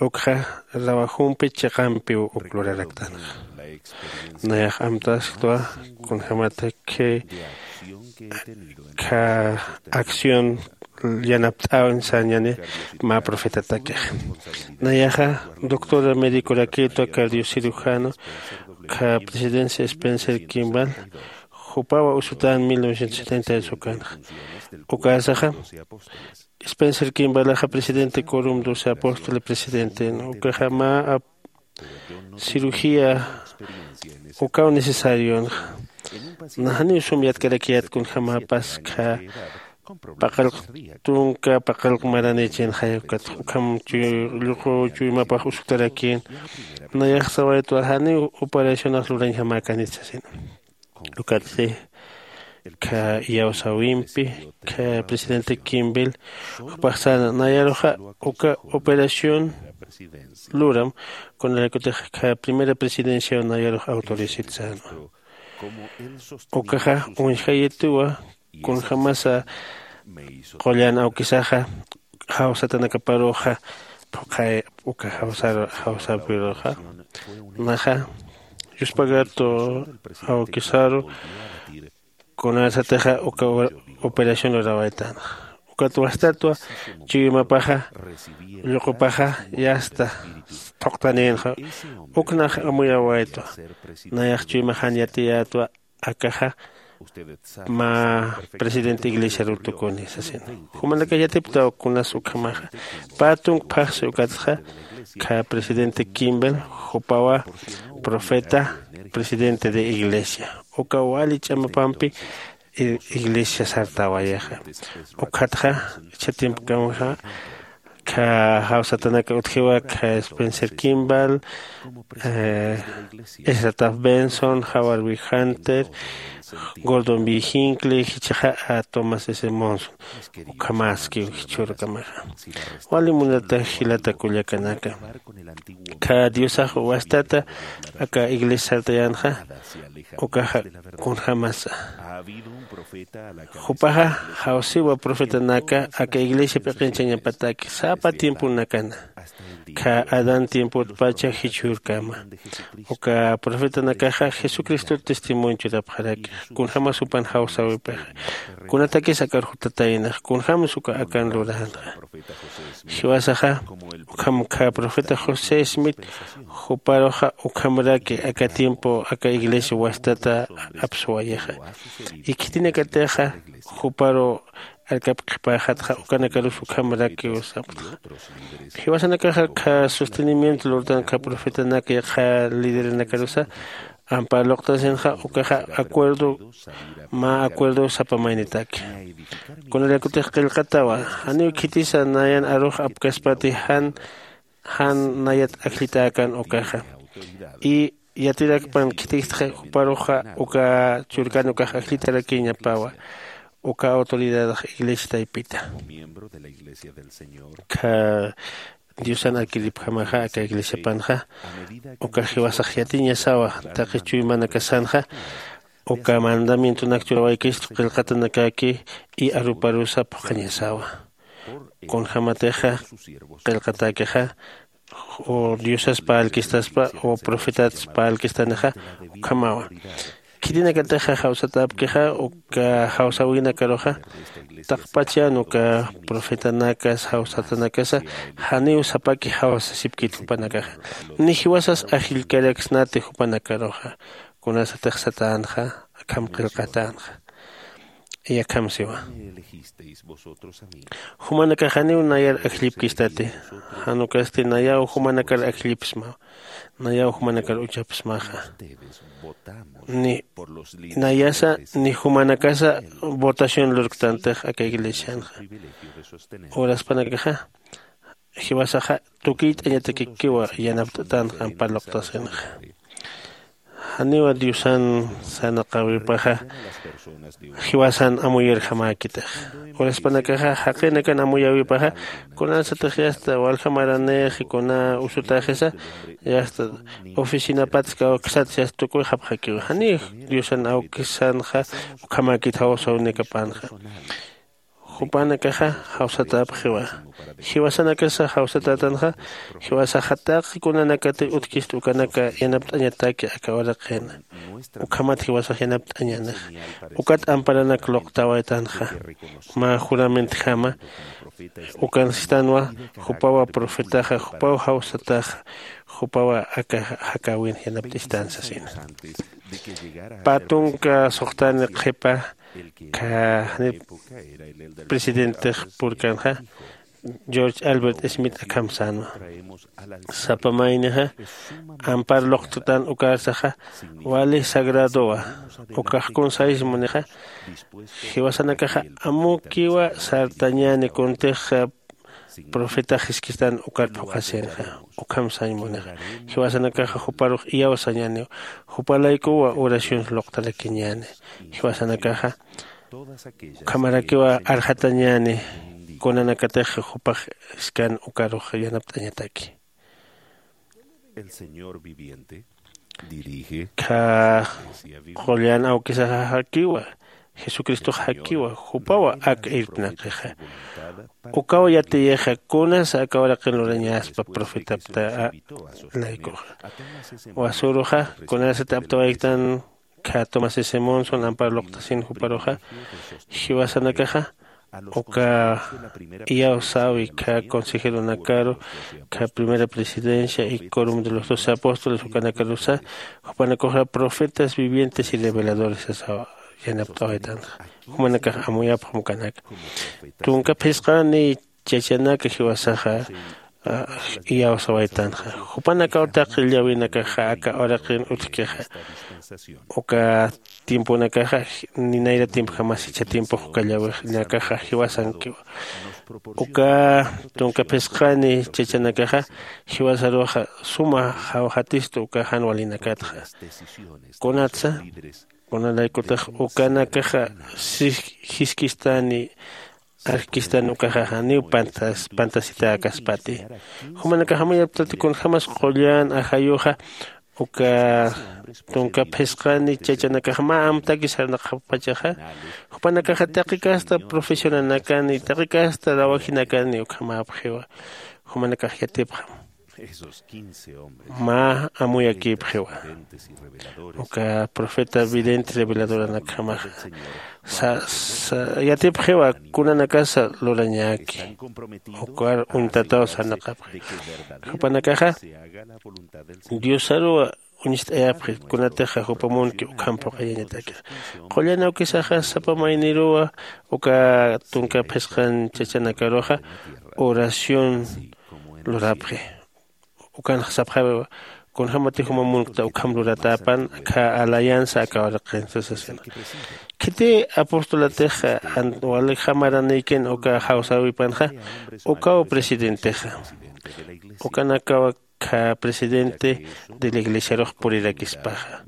ukxa rawajumpi chiqampiw uk luraraktanxa. Nayax amtasktwa kunjämataki aka acción yanapt'äwin sañäni mä profetatakix. Nayaxa doctor médicorakïtwa, cardiocirujano, aka presidencia Spencer Kimball, Jupawa usutan mil novecientos setenta ukanxa. Ukasaxa spencer kimbalaxa presidente corum doce apóstole presidente ukaxa mä ap- cirugía ukaw necesarion. Naxaniw sum yatkarakiyat kunjämapas kha paqallq tunka paqallq maranïchinxay ukat ukham lluqu chuymapax usktarakin. Nayax sawaytwa janiw operacionax lurañjamäkanit sasina. Ukatsi kha iyawsäwimpi kha presidente kimbel jupax säna nayaruxa uka operación luram. Kunarakutix kha primera presidenciaw nayarux autorizit sänwa. Ukaxa uñjayituwa kunjämasa qullan awkisaxa jawsatanakaparuxa phuqhay uka jawsaru jawsapiruxa naxa yuspagatu awkisaru kunasatixa uka operación lurawaytanxa. Ukat wastatwa chuymapaxa lluqupaxa yasta thuqtanïnxa. Uknax amuyawaytwa nayax chuymaxan yatiyätwa akaxa mä presidente iglesiaruw tukuni sasina. Jumanakax yatipktaw kunas ukhamaxa pä tunk phaxsi ukatxa kha presidente kimbel jupawa profeta presidente de iglesia uka wali ch'amapampi iglesia sartawayaxa. Ukhatxa ichha tiempokamxa kha jawsatanaka utjiwa kha spencer kimball, ezra taft benson, howard b hunter, gordon b hinckley jichhaxa thomas s monson. Ukhamaskiw jichhürkamaxa. Wali munata jilata kullakanaka, kha diosax wastata aka iglesia sartayänxa ukaxa kunjämasa jupaxa jawsiwa profetanaka aka iglesia p'iqinchañapataki sapa tiemponakana kha adán tiempotpacha jichhürkama. Uka profetanakaxa jesucristot testimonio churapxaraki kunjämas jupan jawsäwipixa kunatakis akar jutataynax kunjämsa uka akan luränxa. Jiwasaxa ukham kha profeta josé smith juparuxa ukhamraki aka tiempo aka iglesia wastata apsuwayaxa. Y khitinakatixa juparu arkapi qhipäxatxa ukanakarus ukhamrakiw sapxtxa. Jiwasanakaxa kha sostenimiento lurtan kha profetanak yaqha lideranakarusa ampar luqtasinxa ukaxa acuerdo mä acuerdo sapa maynitaki. Kunalakutix qillqatawa janiw khitisa nayan arux apkaspati jan jan nayat ajllitäkan ukaxa. Y yatirakpan khitistxa juparuxa uka churkan ukax ajllitarakiñapawa uka autoridadax iglesia taypita. Kha diosan arkiripjamaxa aka iglesiapanxa uka jiwasax yatiñasawa taqi chuymanakasanxa uka mandamientonak churawaykistu qillqatanakaki y aruparusa phuqhañasawa. Kunjämatixa qillqatäkixa o diosas parlkistaspa o profetats parlkistanixa ukhamawa. Khitinakatixa jawsatäpkixa uka jawsäwinakaruxa taqpachan uka profetanakas jawsatanakasa janiw sapaki jawsasipkit jupanakaxa. Ni jiwasas ajllkaraksnati jupanakaruxa kunasatix satänxa akham qillqatänxa. Yakham siwa jumanakax janiw nayar ajllipkistati. Jan ukasti nayaw jumanakar ajllipsmaw. Nayaw jumanakar uchapsmaxa. Ni nayasa ni jumanakasa votación lurktantix aka iglesianxa. Uraspanakaxa jiwasaxa tukiyt'añatakikiwa yanapt'atanxa ampar luqtasinxa. Janiwa diosan sarnaqäwipaxa jiwasan amuyirjamäkitix. Uraspanakaxa jaqinakan amuyäwipaxa kunasatix yasta walja maranix kuna usutaxisa yasta oficinapatsa kawksatsa yasta tukuyxapxakiwa janiw diosan awkisanxa ukhamäkit jawsäwinakapanxa. Jupanakaxa jawsatäpxiwa. Jiwasanakasa jawsatätanxa jiwasaxa taqi kunanakatix utjkista ukanaka yanapt'añataki aka uraqin. Ukhamat jiwasax yanapt'añänixa. Ukat amparanak luqtawaytanxa mä juramentjama ukan sistanwa. Jupawa profetaxa jupaw jawsataxa jupawa aka jakäwin yanapt'istan sasina. Pä tunka suxtani qhipa kha janip presidentix purkanxa george albert smith akham sänwa. Sapa maynixa ampar luqttan ukarsaxa wali sagradowa. Ukax kun saysmunixa jiwasanakaxa amukiwa sartañäni kuntix profeta jiskistan ukar phuqhasinxa. Ukham sañmunixa jiwasanakaxa juparux iyawsañäniw. Jupalaykuwa oraciones luqtarakiñäni. Jiwasanakaxa ukhamarakiwa arxatañäni kunanakatix jupax jiskan ukarux yanapt'añataki. El señor viviente kha qullan awkisaxa jakiwa. Jesucristox jakiwa jupawa ak irpnaqixa. Ukaw yatiyixa kunasa aka uraqin lurañaspa profetapta laykuxa. Wasuruxa kunasati aptawayktan kha tomás simonson ampar luqtasin juparuxa jiwasanakaxa uka iyawsäwi kha consejeronakaru kha primera presidencia y corum de los doce apóstoles ukanakarusa jupanakuxa profetas vivientes y reveladores sasaw yanapt'awaytanxa. Jumanakax amuyapxam ukanaka tunka phisqani chachanaka jiwasaxa iyawsawaytanxa. Jupanakaw taqi llawinakaxa aka uraqin utjkixa uka tiemponakaxa ni nayra tiempojamasicha tiempox uka llawinakaxa jiwasankiwa. Uka tunka phisqani chachanakaxa jiwasaruxa suma jawjatistu uka jan walinakatxa. Kunatsa kunalaykutix ukanakaxa jiskistani arjkistan ukaxa janiw pantas pantasitäkaspati. Jumanakax amuyaptati kunjämas qullan ajayuxa uka tunka phisqani chachanakax mä amtaki sarnaqapxpachaxa jupanakaxa taqi casta profesionanakani taqi casta rawajinakani ukhamäpxiwa. Jumanakax yatipxam mä amuyakïpxiwa. Uka profeta vidente reveladoranakjamaxa yatipxiwa kunanakasa lurañäki. Ukar uñtataw sarnaqapxi jupanakaxa diosaruwa uñst'ayapxi kunatixa jupa munki ukham phuqayañatakix. Qullan awkisaxa sapa mayniruwa uka tunka phisqan chachanakaruxa oración lurapxi. Ukanxa sapxawiwa kunjämatix juma munkta ukham luratäpan aka alianza aka uraqinsa sasina. Khiti apostolatix wali jamaranïkin uka jawsäwipanxa ukaw presidentexa. Ukanakawa kha presidente de la iglesiarux purirakispaxa.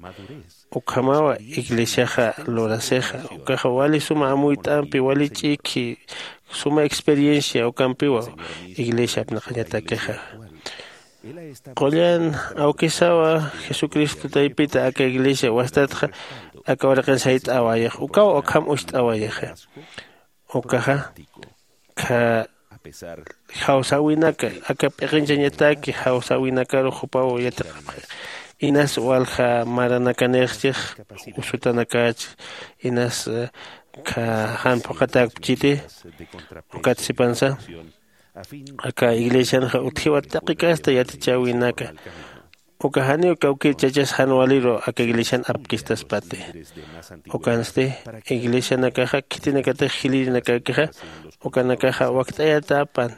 Ukhamawa iglesiaxa lurasixa ukaxa wali suma amuyt'ampi wali ch'ikhi suma experiencia ukampiwa iglesia apnaqañatakixa. Qullan awkisawa jesucristo taypita aka iglesia wastatxa aka uraqin sayt'awayax ukaw ukham ucht'awayaxa. Ukaxa kha jawsäwinaka aka p'iqinchañataki jawsäwinakarux jupaw yatiqapxi. Inas walja maranakanïxchix usutanakach inas kha jan phuqhatäkpchiti. Ukat sipansa aka iglesianxa utjiwa taqi casta yatichäwinaka. Uka janiw kawkïr chachas jan waliru aka iglesian apkistaspati. Ukansti iglesianakaxa khitinakatix jilïrinakakixa ukanakaxa wakt'ayatäpan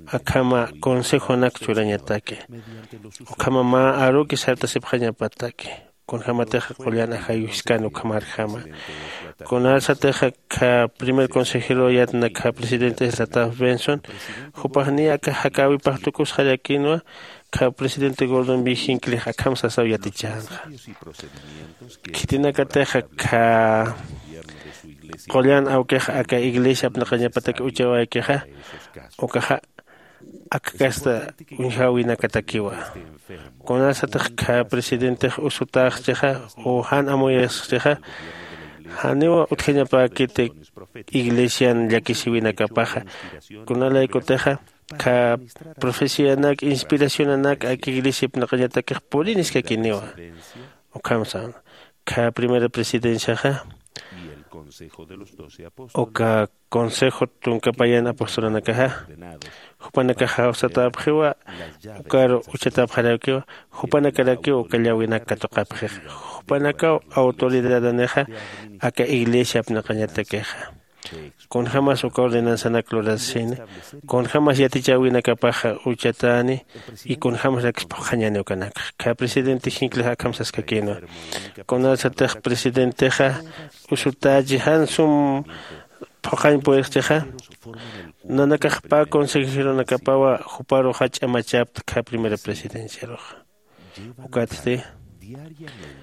akhama consejonak churañataki. Ukhama mä aruki sartasipxañapataki. Kunjämatixa qullan ajayuskani ukhamarjama. Kunasatixa kha primer consejero yatna kha presidente sataf benson jupax niy aka jakäwipax tukusxarakïnwa. Kha presidente gordon bijinkilix akham sasaw yatichänxa. Khitinakatixa kha qullan awkix aka iglesia apnaqañapatak uchawaykixa ukaxa aka casta uñjäwinakatakiwa. Kunasatix kha presidentix usutäxchixa u jan amuyasxchixa Janiw utjañapäkiti iglesian llakisiwinakapaxa. Kunalaykutixa kha profecianak inspiracionanak aka iglesia ipnaqañatakix puriniskakiniwa. Ukham sän kha primera presidenciaxa uka consejo tunka payan apostolunakaxa jupanakax jawsatäpxiwa. Ukar uchatapxaräkiwa. Jupanakarakiw uka llawinak katuqapxixa. Jupanakaw autoridadanixa aka iglesia apnaqañatakixa. Kunjämas uka ordenanzanak lurasini, kunjämas yatichäwinakapaxa uchatäni y kunjämas rakis phuqhañäni ukanakxa. Kha presidente jinklix akham saskakïnwa. Kunasatix presidentexa usutächi jan sum phuqhañ purirxichixa, nanakax pä consejeronakapawa juparuxa ch'amachapta kha primera presidenciaruxa. Ukatsti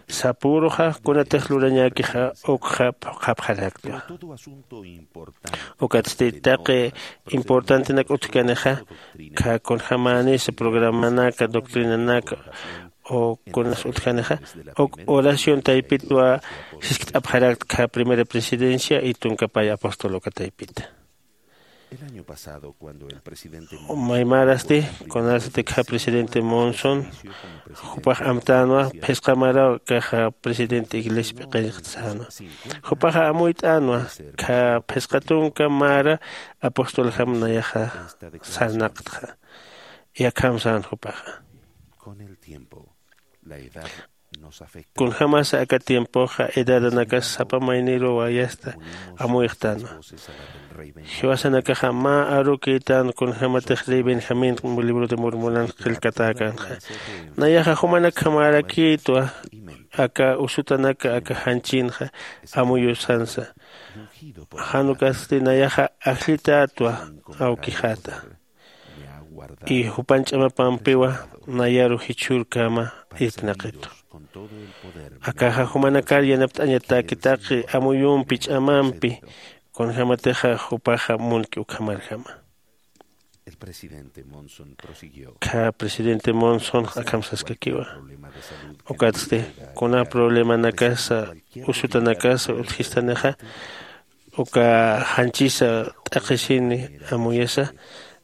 sapüruxa kunatix lurañäkixa ukxa phuqhapxarakta. Ukatsti taqi importantenak utjkanixa kha kunjämänisa programanaka doctrinanaka o kunas utjanixa uk oración taypitwa siskt'apxarakta kha primera presidencia y tunka pay apóstol uka taypita. Maymarasti kunasati kha presidente Monson jupax amtänwa phisqa maraw kaxa presidente iglesia p'iqinxta sänwa. Jupaxa amuyt'änwa kha phisqa tunka mara apostoljam nayaxa sarnaqtxa. Yakham sän jupaxa kunjämasa aka tiempoxa edadanakas sapa mayniruw wayasta amuyxtänwa. Jiwasanakaxa mä arukïtän kunjämatix rey benjamín libro de mormonanx qillkatäkänxa. Nayaxa jumanakjamärakïtwa aka usutanaka aka janchinxa amuyusansa. Jan ukasti nayaxa ajllitätwa awkixäta y jupan ch'amapampiwa nayaru jichhürkäma irpnaqitu. Akaxa jumanakar yanapt'añatäki taqi amuyumpi ch'amampi kunjämatixa jupaxa munki ukhamarjama. Kha presidente monson akham saskakiwa. Ukatsti kuna problemanakasa usutanakasa utjistanixa uka janchisa t'aqhisini amuyasa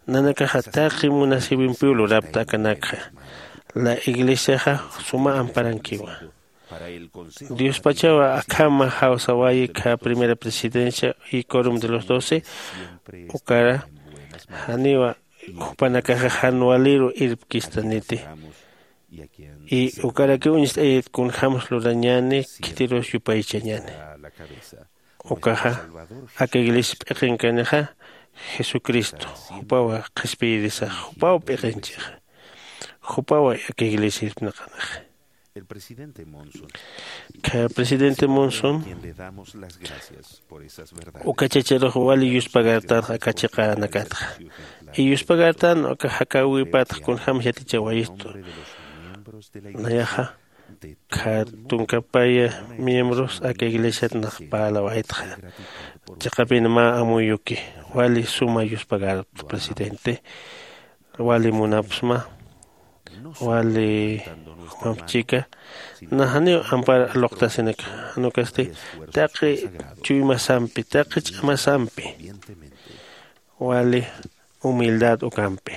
nanakaxa taqi munasïwimpiw lurapta akanakxa. La iglesiaxa suma amparankiwa. Diospachawa akhama jawsawayi kha primera presidencia y corum de los doce ukara janiwa jupanakaxa jan waliru irpkistaniti. Y ukarakiw uñst'ayit kunjämas lurañäni khitirus yupaychañäni. Ukaxa aka iglesia p'iqinkanixa jesucristo jupawa qhispiyirisax jupaw p'iqinchixa. Jupawa aka iglesia irpnaqanixa. Kha presidente monson uka chacharux wali yuspagartanxa aka chiqänakatxa. Y yuspagartan aka jakäwipatx kunjämas yatichawayistu. Nayaxa kha tunkapaya miembros aka iglesiat nax parlawaytxa. Chiqapin mä amuyuki wali suma yuspagarta presidente. Wali munapsma wali jumamp chika. Naxaniw ampar aluqtasinak janukasti taqi chuymasampi taqi ch'amasampi wali humildad ukampi.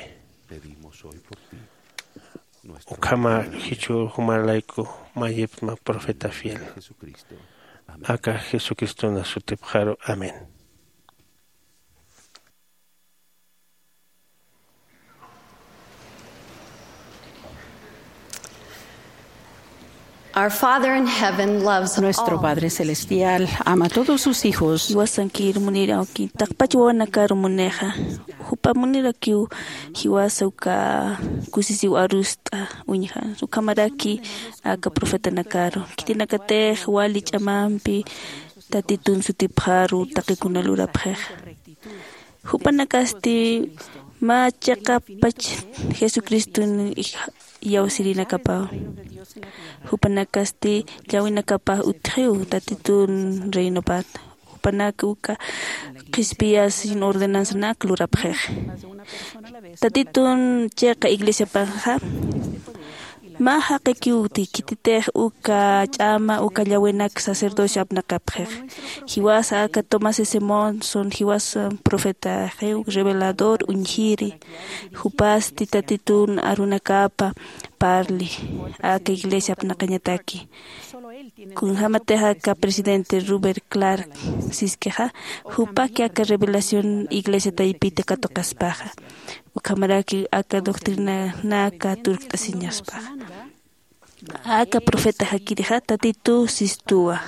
Ukhama jichhü jumalayku mayipsma profeta fiel aka jesucristona sutipxaru. Amén. Our Father in heaven loves all. Nuestro Padre Celestial ama a todos sus hijos. Jiwasankir munir awki taqpach wawanakar munixa. Jupa munirakiw jiwasa uka kusisiw arust'a uñja ukhamaraki aka profetanakaru khitinakatix wali ch'amampi tatitun sutipxaru taqikuna lurapxixa. Jupanakasti mä chiqapach jesucriston iyawsirinakapaw. Jupanakasti llawinakapax utjiw tatitun reinopat. Jupanak uka qhispiyasin ordenanzanak lurapxix. Tatitun chiqa iglesiapaxa Mä jaqikiw uti khititix uka ch'ama uka llawinak sacerdocio apnaqapxix. Jiwasa aka Tomás S. Monson jiwasa profetaxiw revelador uñjiri. Jupasti tatitun arunakapa parli aka iglesia apnaqañataki. Kunjämatix aka presidente Rupert Clark siskixa, jupaki aka revelación iglesia taypita katuqaspaxa, ukhamaraki aka doctrinanaka turkt'asiñaspaxa. Aka profeta jakirixa Tatitu sistuwa.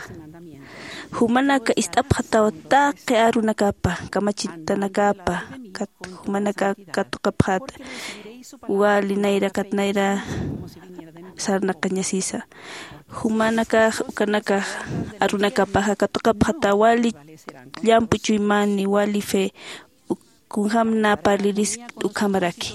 Jumanaka ist'apxataw taqi arunakapa, kamachitanakapa, kat jumanaka katuqapxata wali nayraqat nayra sarnaqañasisa. Jumanakax ukanakax arunakapaxa katuqapxata wali llamp'u chuymani, wali fe, kunjäm nä parlirisk ukhamaraki.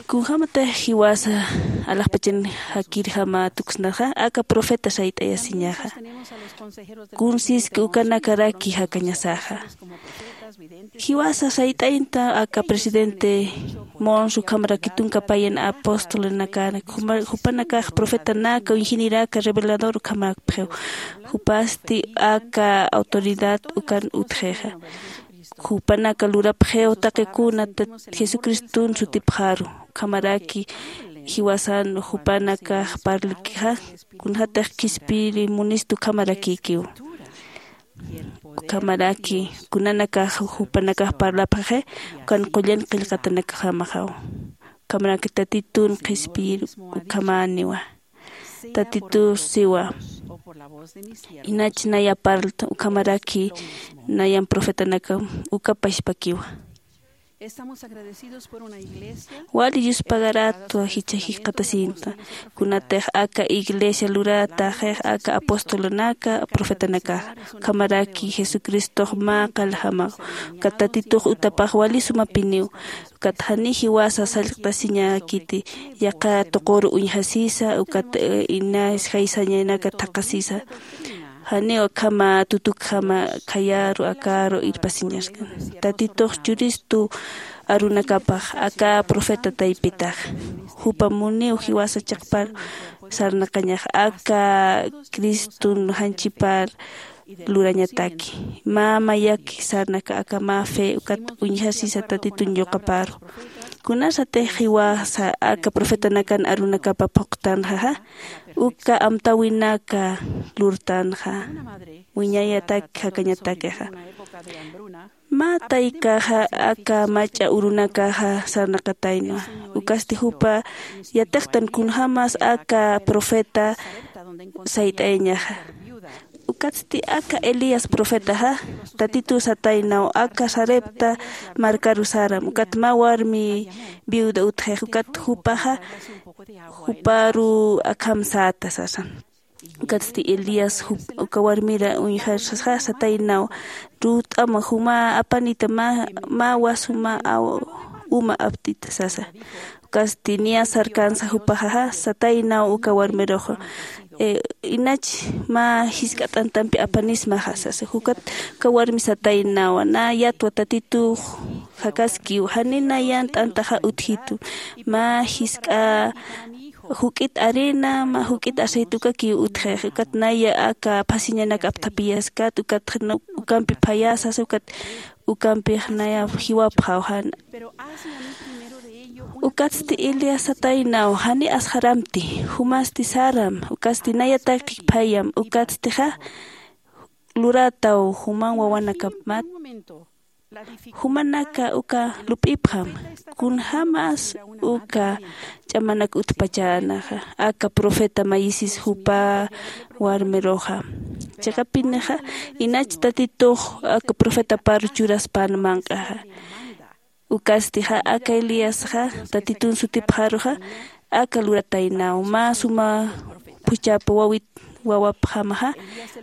Kunjämatix jiwasa alaxpachan jakirjama tuksnaxa aka profeta sayt'ayasiñaxa. Kunsiski ukanakaraki jakañasaxa. Jiwasa sayt'aynta aka presidente Monson ukhamaraki tunka payan apostolanakan, jupanakax profetanaka uñjiniraka revelador ukhamaraki. Jupasti aka autoridad ukan utjixa. Jupanaka lurapxiw taqi kuna Jesucriston sutipxaru. Ukhamaraki jiwasan jupanakax parlikixa, kunjatix qhispiyiri munistu ukhamarakikiw. Ukhamaraki kunanakax jupanakax parlapxixi, ukan qullan qillqatanakjamaxaw. Ukhamaraki Tatitun qhispiyir ukhamäniwa. Tatitu siwa. Inach naya parlta ukhamaraki nayan profetanakam uka pachpakiwa. Wali yuspagaratwa jichha jikxatasinta. Kunatix aka iglesia lurataxix aka apostolanaka profetanakaxa, ukhamaraki Jesucristox mä qaljamaw. Ukat Tatitux utapax wali sumapiniw. Ukat jani jiwasa sallqtasiñäkiti, yaqha tuquru uñjasisa, ukat inas jaysañanak thaqhasisa. Janiw akhama tutukjama khayaru akaru irpasiñaskan. Tatitux churistu arunakapax aka profeta taypitax. Jupa muniw jiwasa chiqpar sarnaqañax aka Criston janchipar lurañataki. Mä mayaki sarnaka aka mä fe ukat uñjasisa Tatitun yuqaparu. Kunasatix jiwasa aka profetanakan arunakapa phuqtanxaxa, uka amtäwinaka lurtanxa, wiñayatak jakañatakixa. Mä taykaxa aka mach'a urunakaxa sarnaqataynwa. Ukasti jupa yatiqtan kunjämas aka profeta sayt'ayañaxa. Ukatsti aka Elías profetaxa, Tatituw sataynaw aka Sarepta markaru saram, ukat mä warmi viuda utjix, ukat jupaxa juparu akham säta sasa. Ukatsti Elías uka warmir uñjarsaxa sataynaw, rut'ama juma apanita mä wasuma uma aptita sasa. Ukasti niya sarkansa jupaxaxa sataynaw uka warmiruxa, inach mä jisk'a t'antampi apanismaxa sasa. Ukat uka warmi sataynawa, nä yatwa Tatitux jakaskiw, jani nayan t'antaxa utjitu, mä jisk'a juk'it arena mä juk'it aceite ukakiw utjix. Ukat naya aka phasiñanak apthapiyaskat, ukat ukampi phayasasa, ukat ukampix naya jiwapxaw jana. Ukatsti Elías sataynaw, jani asxaramti, jumasti saram, ukatsti nayataki phayam, ukatstixa lurataw juman wawanakamat. Jumanaka uka lup'ipxam, kunjämas uka ch'amanak utpachänaxa aka profeta mayisis jupa warmiruxa. Chiqapinixa inach Tatitux aka profetaparu churaspän manq'axa. Ukastixa aka Elíasxa Tatitun sutipxaruxa aka lurataynaw, mä suma phuchhapa wawit wawapxamaxa,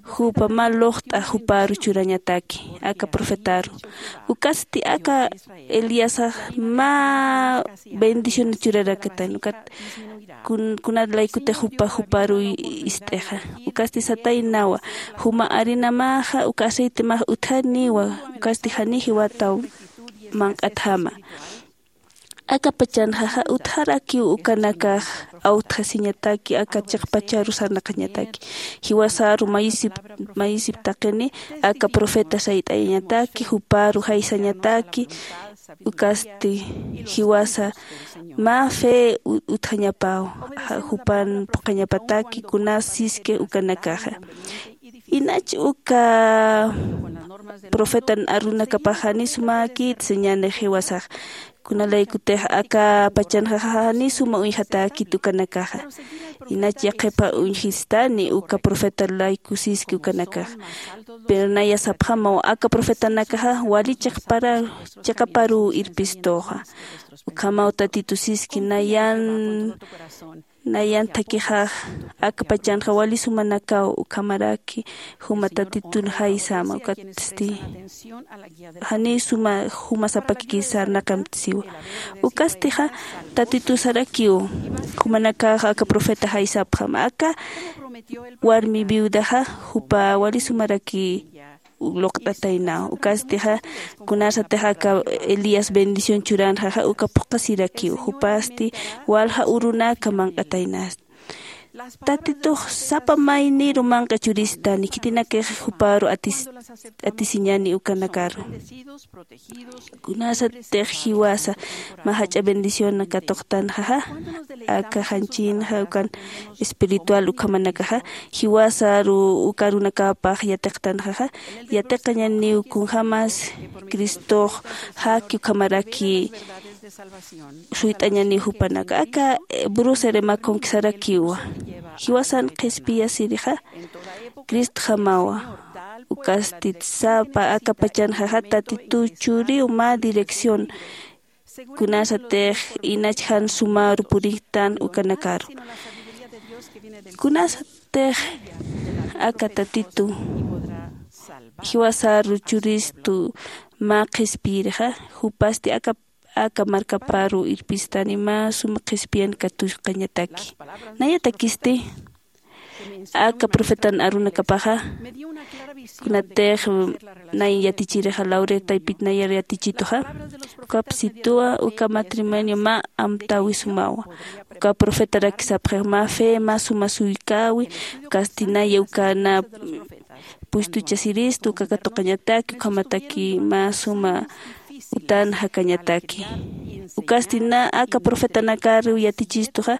jupa mä luqt'a juparu churañataki aka profetaru. Ukasti aka Elíasax mä bendicionat churarakatan, ukat kuna laykutix jupa juparu ist'ixa. Ukasti sataynawa, juma arenamaxa uka aceitemax utjaniwa, ukasti jani jiwataw manq'atjama. Aka pachanxaxa utjarakiw ukanakax awtjasiñataki aka chiqpacharu sarnaqañataki. Jiwasaru mayisip mayisip taqini aka profeta sayt'ayañataki juparu jaysañataki. Ukasti jiwasa mä fe utjañapaw jupan phuqhañapataki kunas siski ukanakaxa. Inach uka profetan arunakapax jani sumäkit señanix jiwasax. Kunalaykutix aka pachanxaxa jani suma uñjatäkit ukanakaxa. Inach yaqhipa uñjistani uka profeta layku siski ukanakaxa. Pero naya sapxamaw aka profetanakaxa wali chiqparuw irpistuxa. Ukhamaw tatitu siski nayan nayan thakixax aka pachanxa wali sumanakaw ukhamaraki juma tatitun jaysama ukatsti janiw suma juma sapakiki sarnaqamtisiwa. Ukastixa tatitusarakiw jumanakax aka profeta jaysapxam aka warmi viudaxa jupa wali sumaraki luqt'ataynaw. Ukastixa kunasatix aka elías bendición churanxaxa uka phuqhasirakiw jupasti walja urunaka manq'ataynasti. Tatitux sapa mayniru manq'a churistani khitinakix juparu atisiñani ukanakaru. Kunasatix jiwasa mä jach'a bendición katuqtanxaxa aka janchinxa ukan espiritual ukhamanakaxa jiwasaru uka arunakapax yatiqtanxaxa yatiqañaniw kunjämas cristox jaki ukhamaraki suyt'añaniw jupanaka aka bruserema conquistarakiwa. Jiwasan qhispiyasirixa cristjamawa. Ukastit sapa aka pachanxaxa tatituw churiw mä dirección kunasatix inach jan sumaru puriktan ukanakaru. Kunasatix aka tatitu jiwasaru churistu mä qhispiyirixa jupasti aka aka markaparu irpistani mä suma qhispiyan katusqañataki. Nayatakisti aka profetan arunakapaxa kunatix nay yatichirixa lauretaypit nayar yatichituxa. Ukapsituwa uka matrimonio mä amtäwi sumawa. Uka profetarak sapxix mä fe mä suma suykäwi. Ukasti naya uka na puestuchasiristu uka katuqañataki ukhamataki mä suma utan jakañataki. Ukasti na aka profetanakar yatichistuxa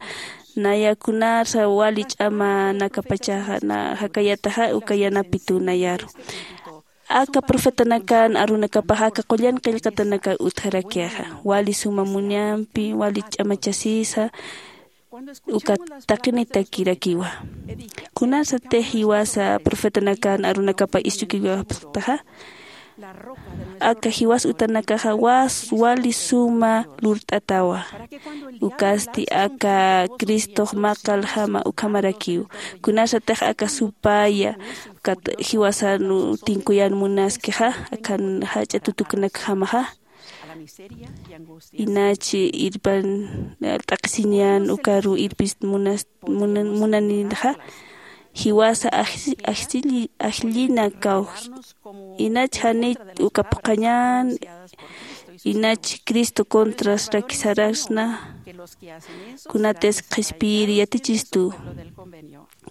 naya kunarsa wali ch'amanakapachaxa na jakayataxa uka yanapituw nayaru. Aka profetanakan arunakapaxa aka qullan qillqatanakar utjarakixa wali suma munampi wali ch'amachasisa uka taqinitakirakiwa. Kunasatix jiwasa profetanakan arunakapa isch'ukiwapxtaxa aka jiwas utanakaxa was wali suma lurt'atawa. Ukasti aka cristox maqaljama ukhamarakiw. Kunasatix aka supaya ukat jiwasan tinkuyan munaskixa akan jach'a tutuknakjamaxa inach irpan t'aqhisiñan ukaru irpist munas munan munaninxa jiwasa ajllina kawji. Inach janit uka phuqhañan inach cristo contrasraki sarasna kunatis qhispiyir yatichistu.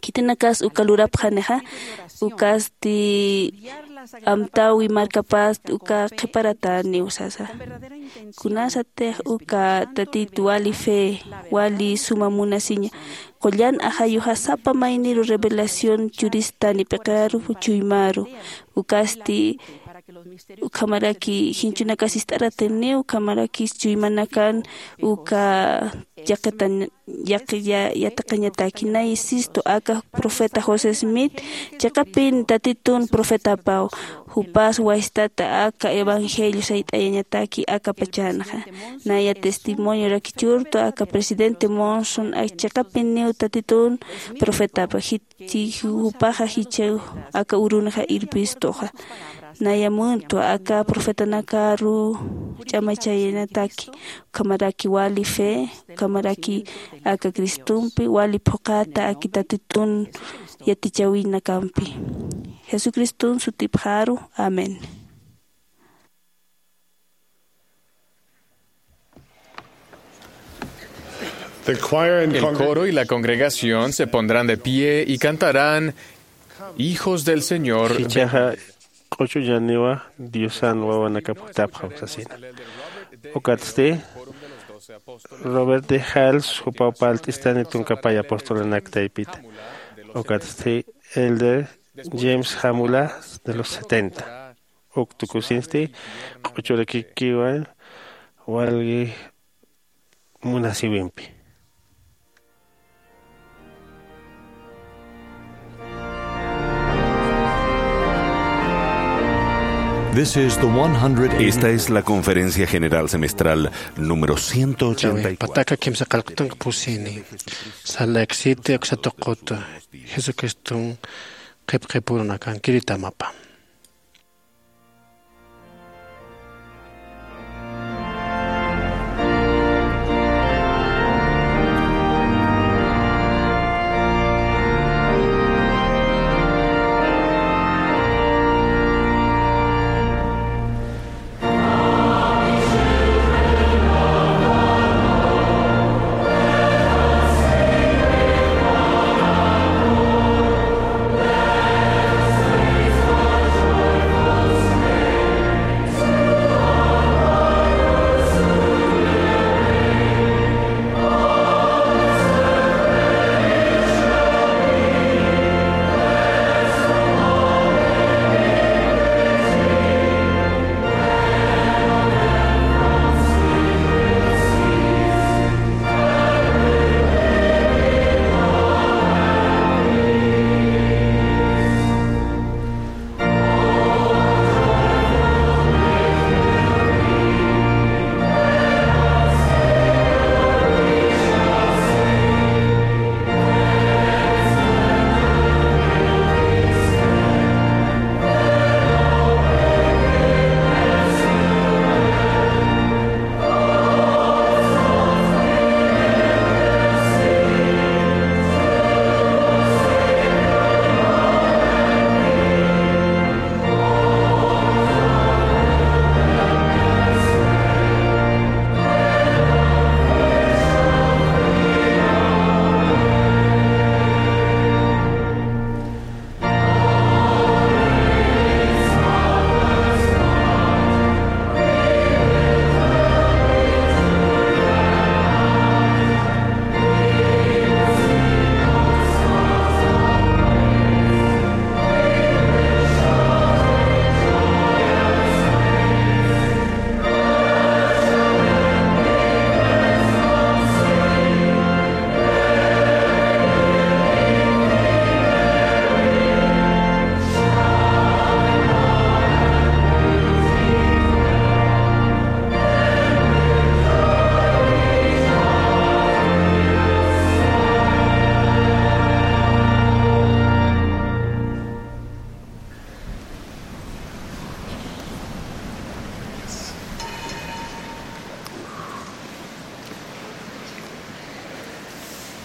Khitinakas uka lurapxanixa ukasti amtäwi markapast uka qhiparataniw sasa. Kunasatix uka tatit wali fe wali suma munasiña qullan ajayuxa sapa mayniru revelación churistani p'iqaru chuymaru. Ukasti ukhamaraki jinchunakas ist'aratiniw ukhamaraki chuymanakan uka yaqitan yaqi yatiqañataki nay sistu aka profeta josé smith chiqapin tatitun profetapaw. Jupas waystata aka evangelio sayt'ayañataki aka pachanxa naya testimonio rakichurtu aka presidente monson chiqapiniw tatitun profetapa jit jupaxa jichhaw aka urunxa irpistuxa. Naya muntwa aka profetanakaru ch'amachayanataki ukhamaraki wali fe ukhamaraki aka cristompi wali phuqhata aki tatitun yatichawinakampi. Jesucristun sutipxaru. Amén. The choir and El congregation coro y la congregación se pondrán de pie y cantarán: "Hijos del Señor, ven". Jichhaxa q'uchuñaniwa Diosan wawanakap jutapxam sasina. Ukatsti Robert D. Hales jupaw parlt'istani tunkapay apostolanak taypita. Ukatsti Elder James Hamula de los setenta. Uk tukusinsti q'uchurakikiwa walgi munasiwimpi. This is the one hundred. Esta es la conferencia general semestral número ciento ochenta y cuatro. Pataka kimsa qallqtunka pusini. Salt Lake City, uksa tuquta. Jesucriston qhipqhipurunakan kiritamapa.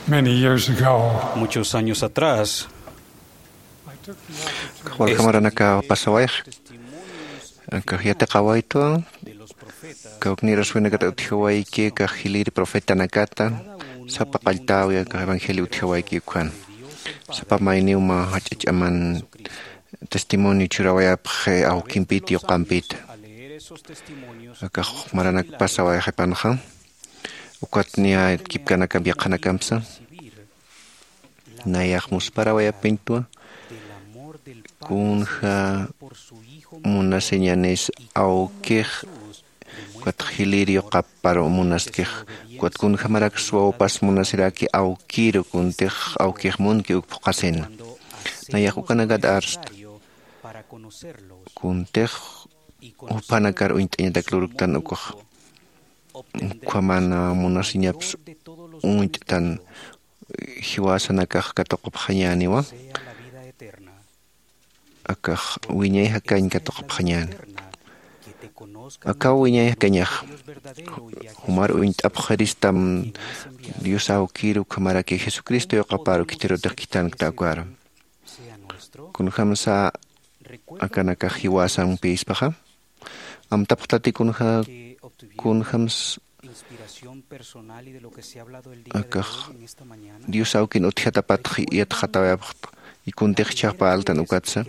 Many years ago, muchos años atrás, Walja maranaka pasawayx, akax yatiqawaytwa, kawknïr aswinakata utjawayki, akax jilïr profetanakata, sapa qalltäwi akax evangelio utjawayki ukan. Sapa mayniw mä jach'a ch'aman testimonio churawayapxi awkimpit yuqampit. Akax maranak pasawayxipanxa, ukat niya kipkanakamp yaqhanakampsa. Nayax musparawayapiñtwa kunja munasiñanis awkix, ukat jilïr yuqapar munaskix, ukat kunjamarak swawpas munasiraki awkiru, kuntix awkix munki uk phuqhasina. Nayax ukanakat arsta. Kuntix juphanakar uñt'añatak lurktan ukxa. Ukhaman munasiñaps uñt'tan jiwasanakax katuqupxañäniwa. Akax wiñay jakañ katuqupxañäni. Akaw wiñay jakañax. Jumar uñt'apxiristam Dios awkir ukhamaraki Jesucristo yuqaparu khitirutix khithankta ukaru. Kunjamsa akanakax jiwasampïspaxa. Amtapxtati kunja, kunjams Akax Dios awkin utjatapatx yatxatawayapxta. Y kuntix ichhax parltan ukatsa,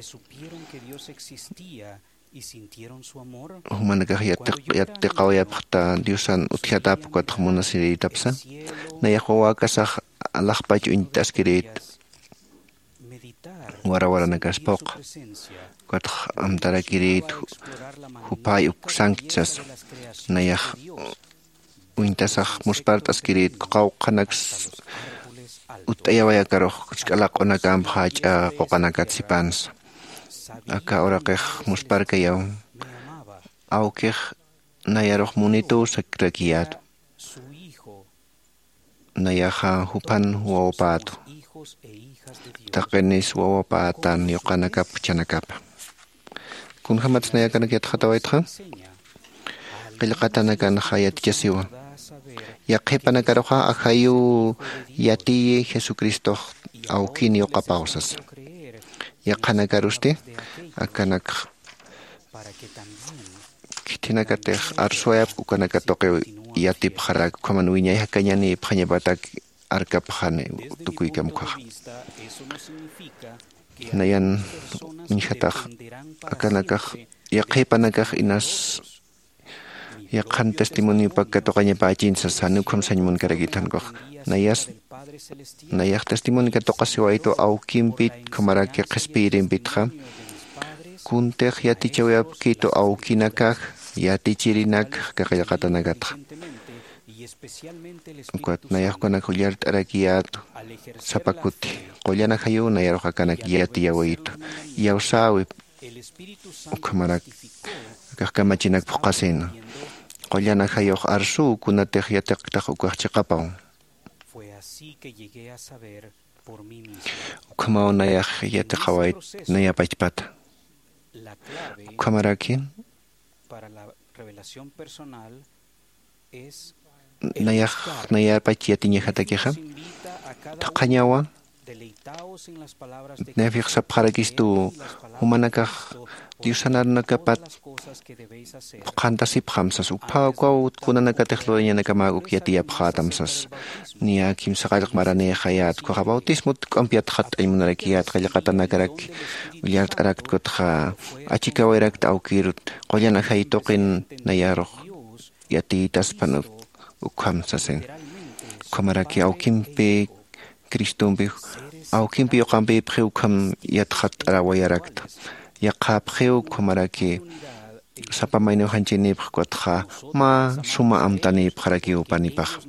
jumanakax yatiq yatiqawayapxta Diosan utjatap ukatx munasirïtapsa. Nayax wawäkasax alaxpach uñt'askirït warawaranakaspuq. Ukatx amtarakirït juphay uk sankchas. Nayax uñtasax muspart'askirït qawqhanaks utt'ayaway akarux, ch'alaq'unakamp jach'a quqanakat sipansa. Aka uraqix musparkayaw, awkix nayarux munituw sakrakiyätu. Nayaxa juphan wawapätu. Taqinis wawapätan yuqanakap juchanakapa. Kunjämatsa nayakanak yatxatawaytxa, qillqatanakanxa yatichasiwa. Yaqhipanakaruxa ajayuw yatiyi Jesucristox awkin yuqapaw sasa. Yaqhanakarusti akanakx khithinakatix arsuwayapk ukanaka tuqiw yatipxarak, ukhaman wiñay jakañanïpxañapatak arkapxani tukuykamkhaxa. Nayan uñjatax akanakax yaqhipanakax inas yaqhan testimoniopak katuqañapächin sasa, jan ukham sañ munkarakit jan ukax. Nayas nayax testimonio katuqasiwaytu awkimpit ukhamaraki qhispiyirimpitxa. Kuntix yatichawayapkitu awkinakax yatichirinak aka qillqatanakatxa. Ukat nayax ukanak ullart'arakiyätu sapa kuti. Qullan ajayuw nayarux akanak yatiyawaytu, iyawsäwi. Ukhamarak akax kamachinak phuqhasïna. Qullan ajayux arsuw kunatix yatiqtax ukax chiqapaw. Ukhamaw nayax yatiqawayt naya pachpata. Ukhamaraki nayax nayapach yatiñajatakixa, thaqhañawa. Nayapix sapxarakistu, jumanakax Diosan arunakapat phuqhantasipxam sas, uphaw ukaw kunanakatix lurañanakamäk uk yatiyapxätam sas. Niya kimsa qallq maranïxayät, ukaxa bautismot k'amp yatxatt'añ munarakiyät, qillqatanakarak ullart'arakt, ukatxa achikawayrakta awkïrut, qullan ajay tuqin nayarux yatiytaspan uk-, ukham sasin. Ukhamaraki awkimpi Cristompi, awkimpi yuqampïpxiw ukham yatxatt'arawayarakta. Yaqhäpxiw ukhamaraki sapa mayniw janchïnïpx ukatxa mä suma amtanïpxarakiw jupanipax.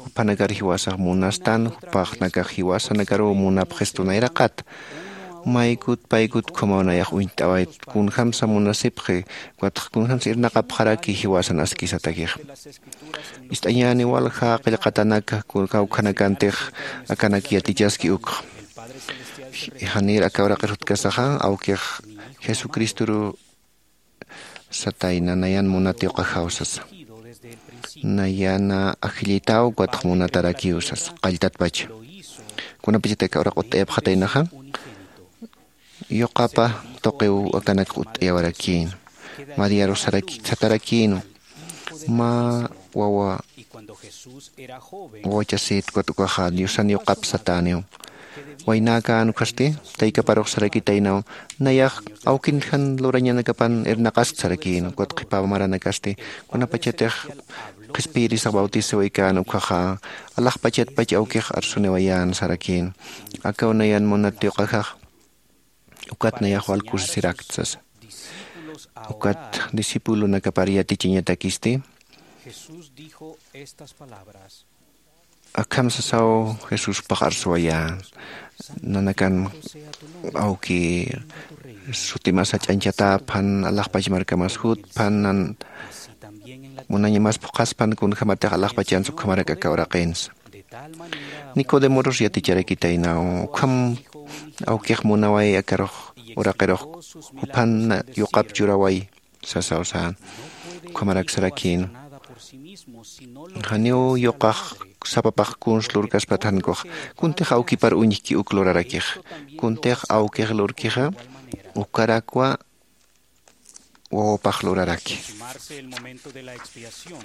Juphanakar jiwasax munastan, jupaxnakax jiwasanakaruw munapxistu nayraqat. Maykut paykut ukhamaw nayax uñt'awayt, kunjamsa munasipxi, ukatxa kunjamsa irnaqapxaraki jiwasan askisatakixa. Ist'añäni walja qillqatanaka, kun-, kawkhanakantix akanak yatichaski ukxa. Janir aka uraqir jutkasaxa, awkix Jesucristoru satayna, nayan munat yuqaxaw sasa. Nayana ajllitaw ukatx munatarakiw sasa, qalltatpacha. Kunapachatï aka uraq utt'ayapxataynaxa, yuqapa tuqiw akanak utt'ayawarakïn. Mariarux saraki-, satarakïn, mä wawa, wawachasit ukat ukaxa Diosan yuqap satäniw. Waynäkän ukasti, taykaparux sarakitaynaw, nayax awkin jan lurañanakapan irnaqask sarakïn, ukat qhipa maranakasti, kunapachatix qhispiyirisax bautizawaykäna ukaxa, alaxpachatpach awkix arsuniwayän sarakïn. Akaw nayan munat yuqaxax, ukat nayax wal kusisirakt sasa. Ukat discipulonakapar yatichañatakisti, akham sasaw Jesuspax arsuwayä, nanakan awki sutimasa ch'añchatäpxan, alaxpach markamas jutpxan, nan munañamas phuqhaspan, kunjämatix alaxpachansa ukhamarak aka uraqinsa. Nicodemorus yaticharakitaynaw, ukham awkix munaway akarux uraqirux juphan yuqap churaway sasaw sän. Ukhamarak sarakïn, janiw yuqax sapapax kuns lurkaspat jan ukax, kuntix awkipar uñjki uk lurarakix. Kuntix awkix lurkixa, ukarakwa wawapax luraraki. Aproximarse el momento de la expiación,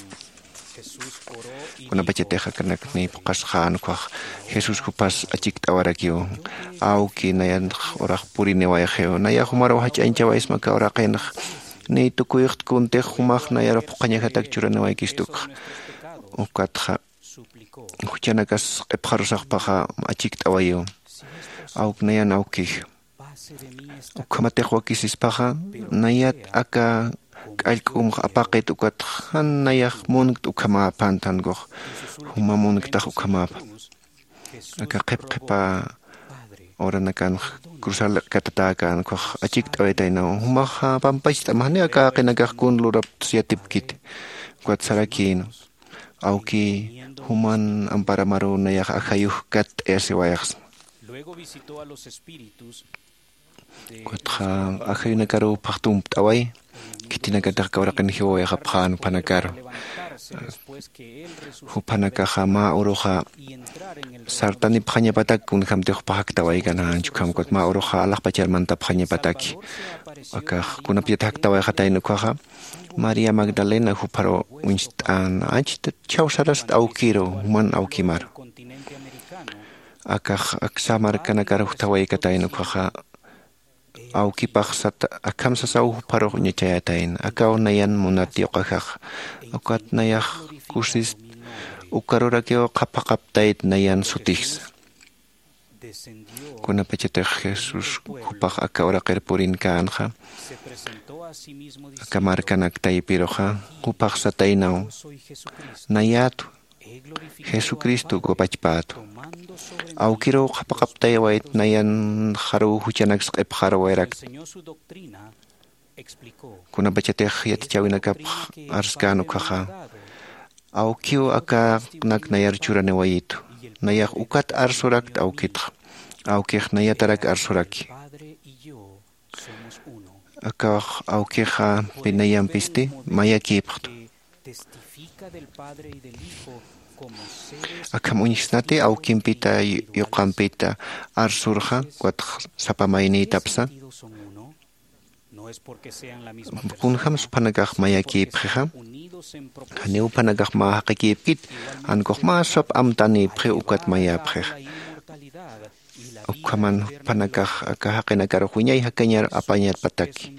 Kunapachatix akanak niy phuqasxän ukhax, jesús jupas achikt'awarakiw. Awki nayanx urax puriniwayxiw, nayax jumaruw jach'añchawaysma aka uraqinx. Niy tukuyxt kuntix jumax nayarux phuqhañajatak churaniwaykistu ukxa. Ukatxa juchanakas q'ipxarusaxpaxa achikt'awayiw. Awk nayan awkij, ukhamatix wakisispaxa nayat aka k'allk'umx apaqit ukat jan nayax munkt ukhamäpant jankux juma munktax ukhamäpa. Aka qhip qhipa uranakanx cruzar katatäkän ukhax achikt'awaytaynaw jumaxa pampacht'am janiw aka jaqinakax kun lurapts yatipkiti. Ukat sarakïna, awkï, juman amparamaruw nayax ajayux katt'ayasiwayxsma. Ukatxa ajayunakaruw phaxtumpt'away. Khitinakatix aka uraqin jiwawayxapxän juphanakaru. Juphanakaxa mä uruxa sartanipxañapatak kunjämtix jupax jaktawaykanänch ukham ukat mä uruxa alaxpachar mantapxañapataki. Akax kunapachat jaktawayxatayna ukhaxa, maría magdalena jupharu uñst'än achta chhawsarasta awkiru juman awkimaru. Akax aksa markanakar juktawaykatayna ukhaxa, awkipax sata akham sasaw jupharux uñachayatayna akaw nayan munat yuqajax. Ukat nayax kusist ukarurakiw qhapaqaptayt nayan sutijsa. Kunapachatix jesús jupax aka uraqir purinkänxa, aka markanak taypiruxa jupax sataynaw, nayätwa, jesucristo ukapachpätwa. Awkiruw qhapaqaptaywayt nayanxaruw juchanaks q'ipxaruwayarakta. Kunapachatix yatichäwinakapx arskän ukhaxa, awkiw akanak nayar churaniwayitu. Nayax ukat arsurakta awkitxa. Awkix nayatarak arsuraki. Akax awkixa pinayampisti mayakïpxtu. Akham uñjsnati awkimpita yuqampita arsurxa, ukat sapa maynïtapsa. Kunjämsa juphanakax mayakïpxixa? Janiw juphanakax mä jaqikïpkit, jankux mä sap amtanïpxiw ukat mayäpxixa. Ukhaman juphanakax aka jaqinakarux wiñay jakañar apañatpataki.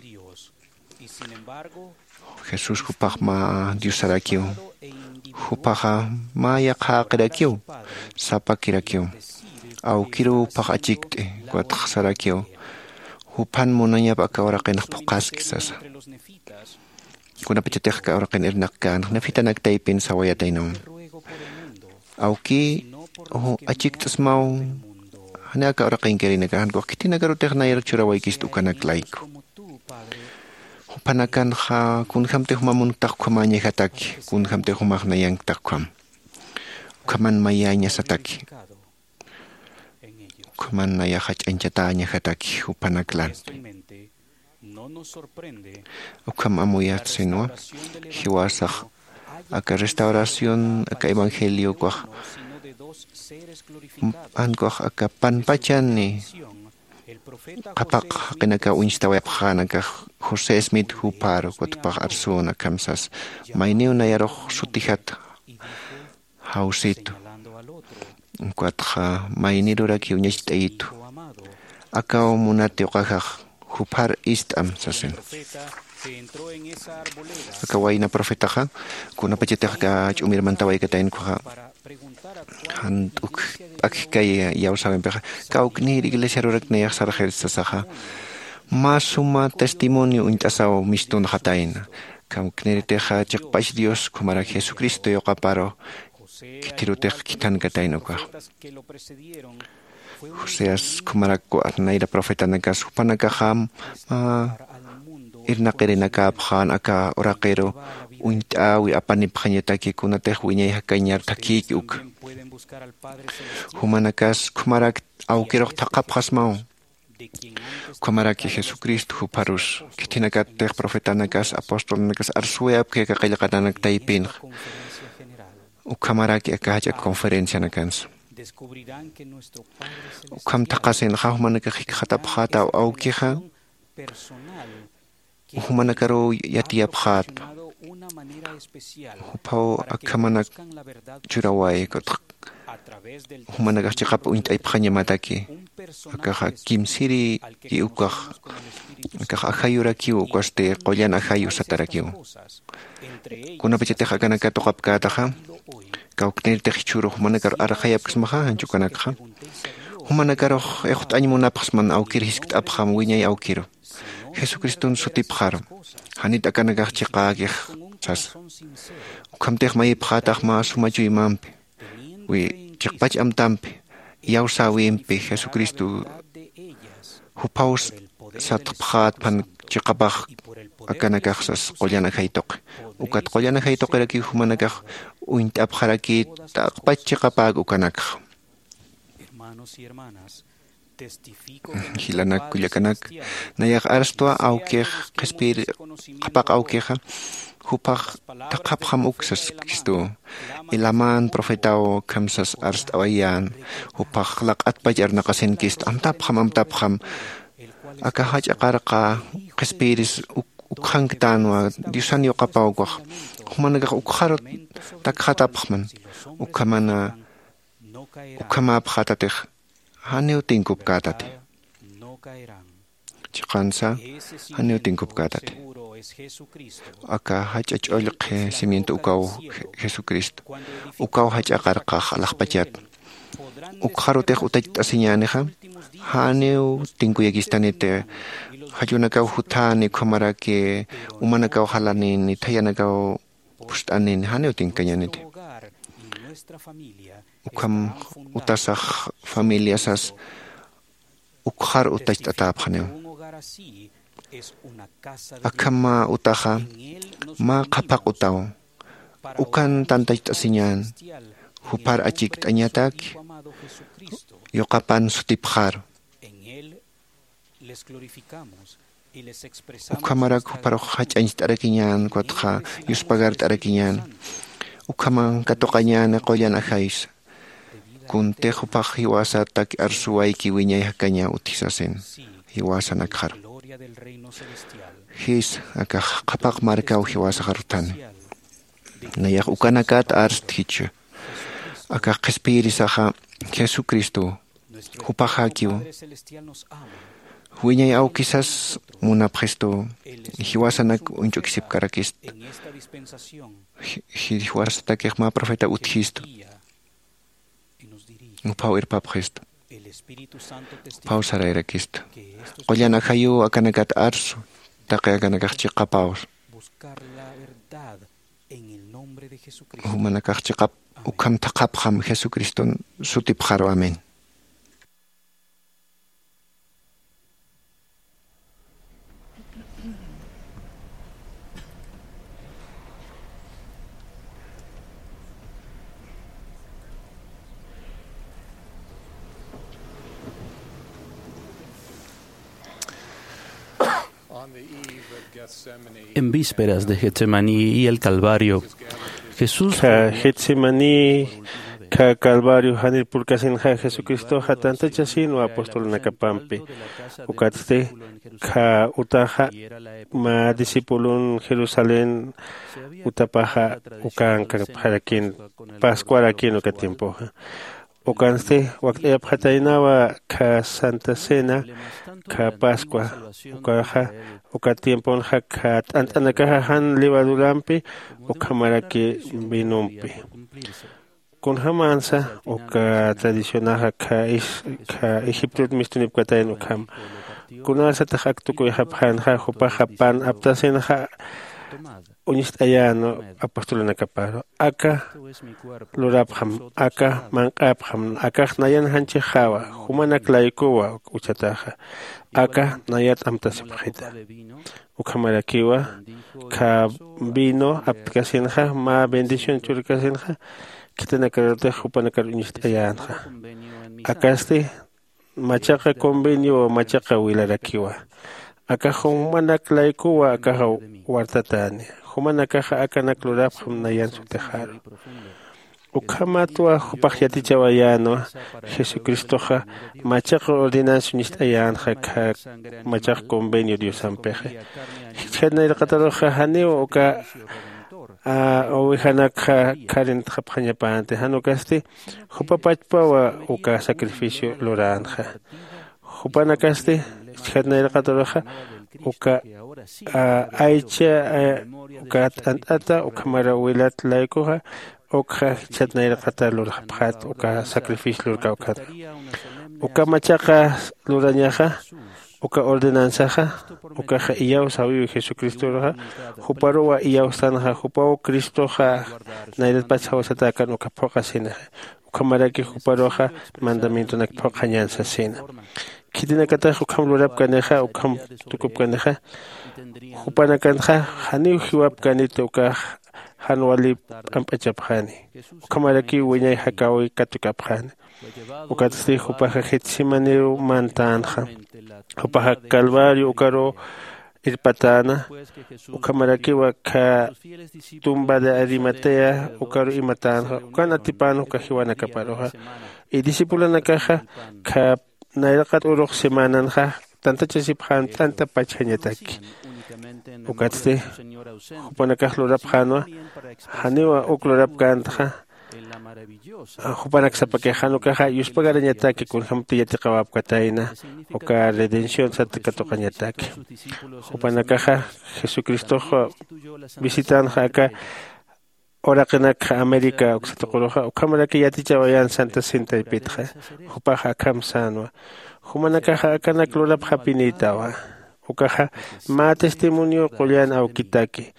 Jesús jupax mä diosarakiw. Jupaxa mä yaqhäqirakiw, sapakirakiw. Awkiruw jupax achikt'i, ukatxa sarakiw, juphan munañap aka uraqinx phuqhaski sasa. Kunapachatix aka uraqin irnaqkänx nefitanak taypin sawayataynaw, awkï, achikt'smaw. Jani aka uraqinkirïnaka jankux khitinakarutix nayar churawaykist ukanak layku. Jupanakanxa kunjämtix juma munktax ukhamäñajataki, kunjämtix jumax nayanktax ukham. Ukhaman mayäñasataki. Ukhaman nayax jach'añchatäñajataki jupanak lanti. Ukham amuyatsinwa, jiwasax aka restauración aka evangelio ukwax, jankux aka panpachani qhapaq jaqinakaw uñstawayapxänakax, josé smit jupharu ukatpax arsüna akham sas, mayniw nayarux sutijat jawsitu. Ukatxa maynirurakiw uñacht'ayitu, akaw munat yuqajax, juphar ist'am sasin. Aka wayna profetaxa kunapachatix aka ch'umir mantawaykataynkuxa, jan t'uk p'akjkay iyawsäwimpixa, kawknïr iglesiarurak nayax sarxir sasaxa, mä suma testimonio uñt'asaw mistunxatayna. Kawknïritixa chiqpach dios ukhamarak jesucristo yuqaparu khithirutix khithankatayna ukax. Joseas ukhamarak nayra profetanakas jupanakaxam mä irnaqirinakäpxän aka uraqiru uñt'äwi apanipxañataki kunatix wiñay jakañar thakïki uka. Jumanakas ukhamarak awkirux thaqhapxasmaw. Ukhamaraki jesucristo jupharus khithinakattix profetanakas apostolnakas arsuwayapki aka qillqatanak taypinxa. Ukhamaraki aka jach'a conferencianakansa ukham thaqhasinxa jumanakax jikxatapxätaw awkixa Jumanakaruw yatiyapxätpa. Juphaw akhamanak churaway, ukatxa jumanakax chiqap uñt'aypxañamataki. Akaxa kimsiri ukax, akax ajayurakiw, ukasti qullan ajayu satarakiw. Kunapachatix akanak katuqapkätaxa, kawknirtix jichhüru jumanakar arxayapksmaxa, janchukanakxa jumanakarux ixt'añ munapxsman awkir jiskt'apxam wiñay awkiru. Jesucriston sutipxaru, janit akanakax chiqäkix sasa. Ukhamtix mayipxätax mä suma chuymampi, wi chiqpach amtampi, iyawsäwimpi Jesucristo juphaw satxpxätpan chiqapax akanakax sas qullan ajay tuqi. Ukat qullan ajay tuqirakiw jumanakax uñt'apxarakït taqpach chiqapäk ukanakxa. Jilanak kullakanak, nayax arstwa awkix qhispiyir qhapaq awkixa, juphax thaqhapxam uk sas Cristow. Elamán profetaw akham sas arst'awayän, juphax laq'atpach arnaqasinkistu, amtapxam, amtapxam. Aka jach'a qarqa qhispiyiris uk-, ukxanktanwa, Diosan yuqapaw ukax. Jumanakax ukxaru takxatapxman, ukhamana, ukhamäpxätatix, janiw tinkupkätati. Chiqansa, janiw tinkupkätati. Aka jach'a ch'ullqhi cimiento ukaw Je-, Jesucristo. Ukaw jach'a qarqax alaxpachat. Ukxarutix utacht'asiñänixa, janiw tinkuyakistaniti. Jallunakaw jutani, ukhamaraki umanakaw jalanini, thayanakaw phucht'anini, janiw tinkañaniti. Ukham utasax familiasas ukxar utacht'atäpxaniw. Akham utaxa mä qhapaq utaw. Ukan tantacht'asiñän, jupar achikt'añatak, yuqapan sutipxar. Ukhamarak juparux jach'añcht'arakiñän, ukatxa yuspagart'arakiñän. Ukhaman katuqañäni qullan ajaysa. Kuntix jupax jiwasatak arsuwayki wiñay jakaña utji sasin. Jiwasanakxar. Jis, akax qhapaq markaw jiwasaxar uthani. Nayax ukanakat arstjichu. Akax qhispiyirisaxa Jesucristo, jupaxäkiw. Wiñay awkisas munapxistu, jiwasanak uñch'ukisipkarakist. Ji-, ji-, jiwasatakix mä profeta utjistu. Juphaw irpapxistu. Juphaw sarayrakistu. Qullan ajayuw akanakat arsu, taqi akanakax chiqapäws. Jumanakax chiqap ukham thaqhapxam Jesucriston sutipxaru. Amén. En vísperas de Getsemaní y el Calvario, Jesús... Kha Getsemaní, kha Calvario janir purkasinxa Jesucristoxa tantachasinwa apostolnakapampi. Ukatsti kha utaxa mä discipulon Jerusalén utapaxa ukankapxarakin, Pascuarakïn uka tiempoxa. Ukansti wakt'ayapxataynawa kha Santa Cena, kha Pascua, ukaxa, uka tiemponxa kha t'ant'anakaxa jan levadurampi, ukhamaraki vinompi. Kunjamansa uka tradicionaxa kha is-, kha Egiptot mistunipkatayna ukham. Kunasatix ak tukuyxapxänxa, jupaxa pan aptasinxa, uñst'ayän apostolunakaparu. Aka lurapxam, aka manq'apxam, akax nayan janchixawa, jumanak laykuwa uchataxa. Aka nayat amtasipxita. Ukhamarakiwa, kha vino aptkasinxa, mä bendición churkasinxa, khitinakarutix jupanakar uñst'ayänxa. Akasti, machaqa convenio, machaqa wilarakiwa. Akax jumanak laykuwa, akaxa wartatäni. Jumanakaxa akanak lurapxam nayan sutixaru. Ukhamatwa jupax yatichawayänwa, Jesucristoxa machaqa ordenanza uñst'ayänxa, kha machaqa convenio Diosampixi. chhayat nayraqataruxa janiw uka ovejanakxa kharintxapxañapänti. Jan ukasti jupa pachpawa uka sacrificio luränxa. Jupanakasti chhayat nayraqataruxa uka aycha uka t'ant'ata ukhamara wilat laykuxa ukxa jichhat nayraqata lurxapxät uka sacrificio lurkawkata. Uka machaqa lurañaxa uka ordenanzaxa ukaxa iyawsawiwi jesucristoruxa. Juparuwa iyawstanxa jupaw cristoxa nayratpach jawasatäkan uka phuqhasinaxa ukhamaraki juparuxa mandamientonak phuqhañan sasina. Khitinakatax ukham lurapkanixa ukham tukupkanixa jupanakanxa janiw jiwapkaniti ukax jan wali p'amp'achapxani. Ukhamarakiw wiñay jakäwi katukapxani. Ukatsti jupaxa getsemaniw mantänxa. Jupaxa calvario ukaruw irpatäna. Ukhamarakiw akha tumba de arimatea ukaruw imatänxa ukan atipän uka jiwanakaparuxa. Y discipulonakaxa kha nayraqat urux semananxa tantachasipxän t'anta pachjañataki. Ukatsti jupanakax lurapxänwa janiwa uk lurapkäntaxa. Jupanak sapakix jan ukaxa yuspagarañataki kunjämti yatiqawapkatayna uka redención sat katuqañataki. Jupanakaxa jesucristox visitänxa aka uraqinakxa américa uksa tuquruxa ukhamaraki yatichawayän santa cena taypitxa. Jupax akham sänwa jumanakaxa akanak lurapxapinïtawa. Ukaxa mä testimonio qullan awkitaki.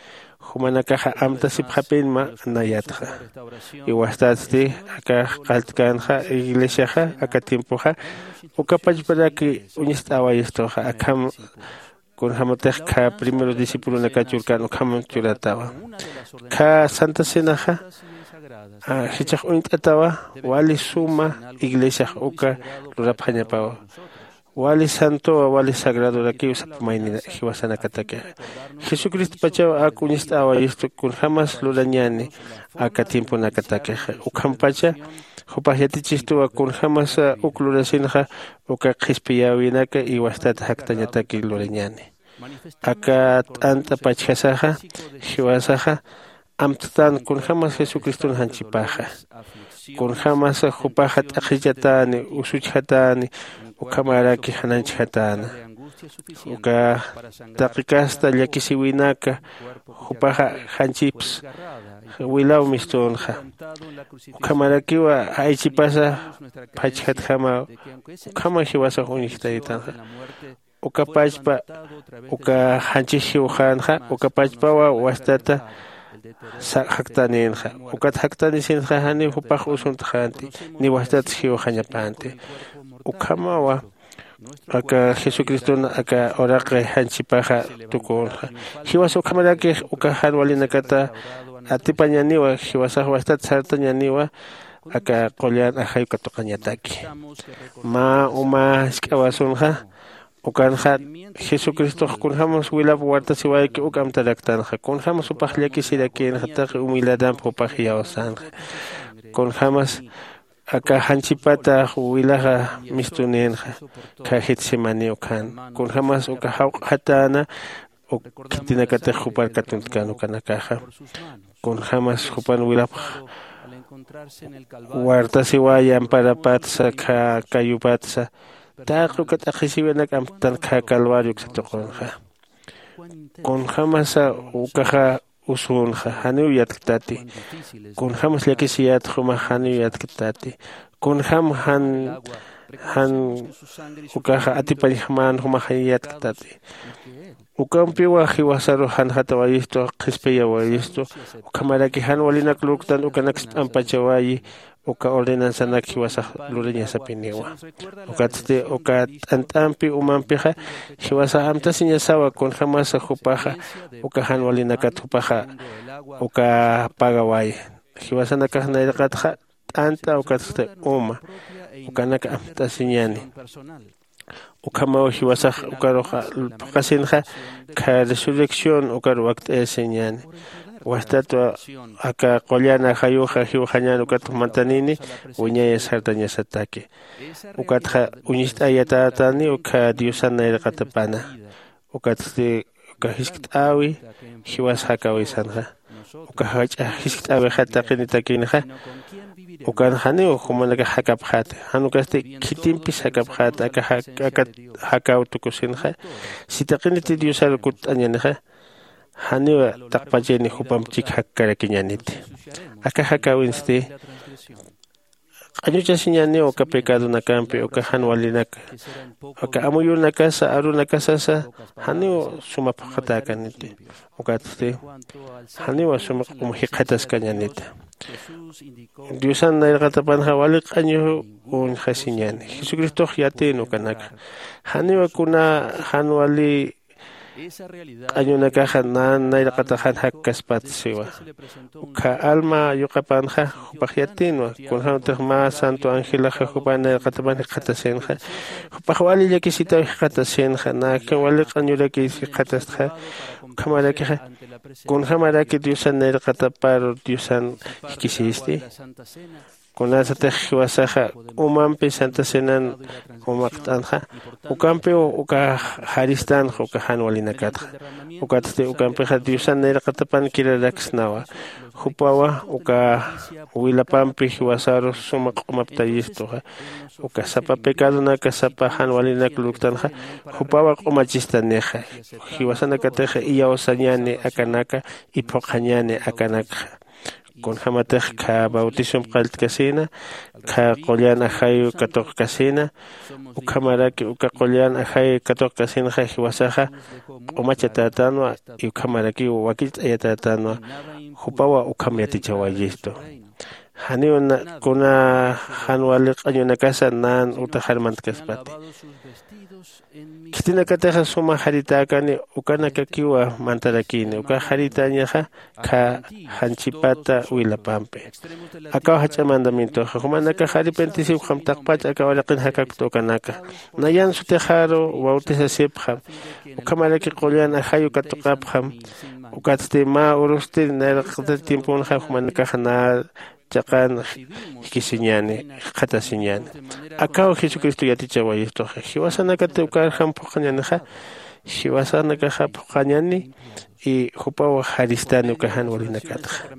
Jumanakaxa amtasipxapinma nayatxa. Iwastatsti aka qalltkänxa iglesiaxa aka tiempoxa uka pachparaki uñist'äwayistuxa akham kunjämatix kha primeros discipulonaka churkän ukham churatawa. Kha santa cenaxa jichhax uñt'atawa wali suma iglesiax uka lurapxañapawa. Wali santowa wali sagradorakiw sapa mayni jiwasanakatakixa. Jesucristopachaw ak uñist'äwayistu kunjämas lurañäni aka tiemponakatakixa ukhampacha jupax yatichistuwa kunjämasa uk lurasinxa uka qhispiyäwinaka iwastat jaktañataki lurañäni. Aka t'ant'a pachjasaxa jiwasaxa amttän kunjämas jesucriston janchipaxa kunjämasa jupaxa t'aqhichatäni usuchjatäni ukhamaraki jananchjatäna. Uka taqi kasta llakisiwinaka jupaxa janchips wilaw mistünxa. Ukhamarakiwa aychipasa phachjatjama ukhama jiwasax uñjtaytanxa. Uka pachpa uka janchij jiwxänxa uka pachpawa wastata jaktanïnxa. Ukat jaktanisinxa janiw jupax usuntxänti ni wastat jiwxañapänti. Ukhamawa aka jesucriston aka uraqi janchipaxa tukünxa. Jiwas ukhamaraki uka jan walinakata atipañäniwa jiwasax wastat sartañäniwa aka qullan ajay katuqañataki. Mä uma jisk'awasunxa ukanxa jesucristox kunjämas wilap wartasiwayki uk amtaraktanxa kunjämas jupax llakisirakïnxa taqi humildadamp jupax iyawsänxa. Kunjämas aka janchipata wilaxa mistunïnxa kha getsemani ukhan kunjämas uka jawq'atäna uk khitinakatix jupar katuntkan ukanakaxa. Kunjämas jupan wilapx wartasiway amparapatsa kha kayupatsa taqi uka t'aqhisiwinak amtan kha calvario uksa tuqunxa. Kunjämasa ukaxa usünxa janiw yatktati. Kunjämas llakisiyät jumax janiw yatktati. Kunjäm jan jan ukaxa atipañjamän jumax janiw yatktati. Ukampiwa jiwasarux janxatawayistu qhispiyawayistu. Ukhamaraki jan walinak lurktan ukanak sp'ampachawayi uka ordenanzanak jiwasax lurañasapiniwa. Ukatsti uka t'ant'ampi umampixa jiwasax amtasiñasawa kunjämasa jupaxa uka jan walinakat jupaxa uka pagaway. Jiwasanakax nayraqatxa t'ant'a ukatsti uma ukanak amtasiñäni. Ukhamaw jiwasax ukarux phuqhasinxa kha resurrección ukar wakt'ayasiñäni. Wastatwa aka qullan ajayuxa jiwxañän ukat jumantanini wiñayas sartañasataki. Ukatxa uñist'ayatätani ukkha diosan nayraqatapana. Ukatsti Uka jiskt'äwi jiwas jakäwisanxa, uka jach'a jiskt'äwixa taqinitakïnxa. Ukan janiw jumanakax jakapxäti, jan ukasti khitimpis jakapxäti aka jakäw tukusinxa. Si taqiniti diosar kutt'añänixa, janiw taqpachini jupamp chik jakkarakiñäniti. Aka jakäwinsti q'añuchasiñäniw uka pecadonakampi uka jan walinaka. Aka amuyunakasa arunakasasa janiw suma phuqhatäkaniti. Ukatsti janiw suma q'um jikxataskañänita. Diosan nayraqatapanxa wali q'añu uñjasiñäni. Jesucristox yatïn ukanakxa. Janiw kuna jan wali q'añunakaxa nan nayraqatax jan jakkaspat siwa. Ukkha alma yuqapanxa jupax yatïnwa. Kunjämtix mä santo angelaxa jupan nayraqatapan jikxatasinxa, jupax wali llakisitaw jikxatasinxa. Nakin wali q'añurakis jikxatastxa. Ukhamarakixa kunjämaraki diosan nayraqatapar diosan jikisisti? Kunasatix jiwasaxa k'umampi santa cenan umaqt'anxa, ukampiw uka jaristanxa uka jan walinakatxa. Ukatsti ukampixa diosan nayraqatapan kiraraksnawa. Jupawa uka wilapampi jiwasarus suma q'umaptayistuxa. Uka sapa pecadonaka sapa jan walinak lurktanxa, jupawa q'umachistanixa. Jiwasanakatix iyawsañäni akanaka, iphuqhañäni akanakxa. Kunjämatix kha bautisomp qalltkasïna, kha qullan ajayu katuqkasïna. Ukhamaraki uka qullan ajayu katuqkasïnxa jiwasaxa q'umachatätänwa, ukhamarakiw wakicht'ayatätänwa. Jupawa ukham yatichawayistu. Janiw kuna jan wali q'añunakasa nan utaxar mantkaspati. Khitinakatixa suma jaritäkani ukanakakiwa mantarakïni uka jaritäñaxa. Kha janchipata wilapampi akaw jach'a mandamientoxa jumanakax arrepentisiwkxam taqpach aka uraqin jakakta ukanaka. Nayan sutixaru bautisasipxam, ukhamaraki qullan ajayu katuqapxam. Ukatsti mä urusti nayraqata tiemponxa jumanakax na chaqan jikisiñäni, jikxatasiñäni. Akaw jesucristo yatichawayistuxa jiwasanakati ukarjam phuqhañänixa. Jiwasanakaxa phuqhañäni y jupaw jaristani uka jan walinakatxa.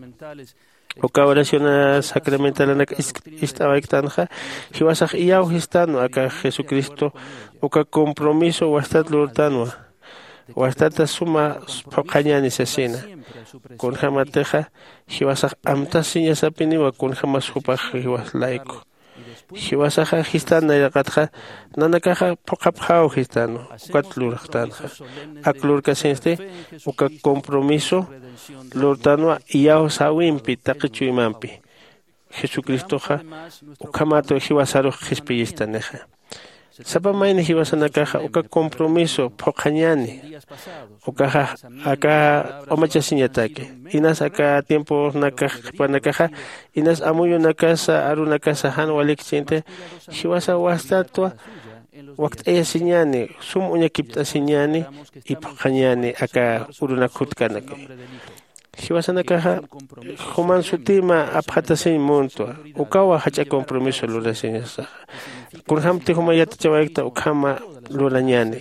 Uka oraciones sacramentalanak ist'awayktanxa jiwasax iyawjistanwa aka jesucristo uka compromiso wastat lurtanwa. Wastata suma phuqhañäni sasina. Kunjämatixa jiwasax amtasiñasapiniwa kunjämas jupax jiwas layku. Jiwasaxa jistan nayraqatxa nanakaxa phuqhapxäw jistanwa. Ukat lurxtanxa ak lurkasinsti uka compromiso lurtanwa iyawsäwimpi taqi chuymampi. Jesucristoxa ukhamat jiwasarux qhispiyistanixa. Sapa mayni jiwasanakaxa uka compromiso phuqhañäni. Ukaxa aka q'umachasiñataki inas aka tiemponakax qhipanakaxa inas amuyunakasa arunakasa jan walikchinti jiwasa wastatwa wakt'ayasiñäni sum uñakipt'asiñäni. Iphuqhañäni aka urunak jutkanaki. Jiwasanakaxa juman sutima apxatasiñ muntwa. Ukawa jach'a compromiso lurasiñasaxa. Kunjämti juma yatichawaykta ukhama lurañäni.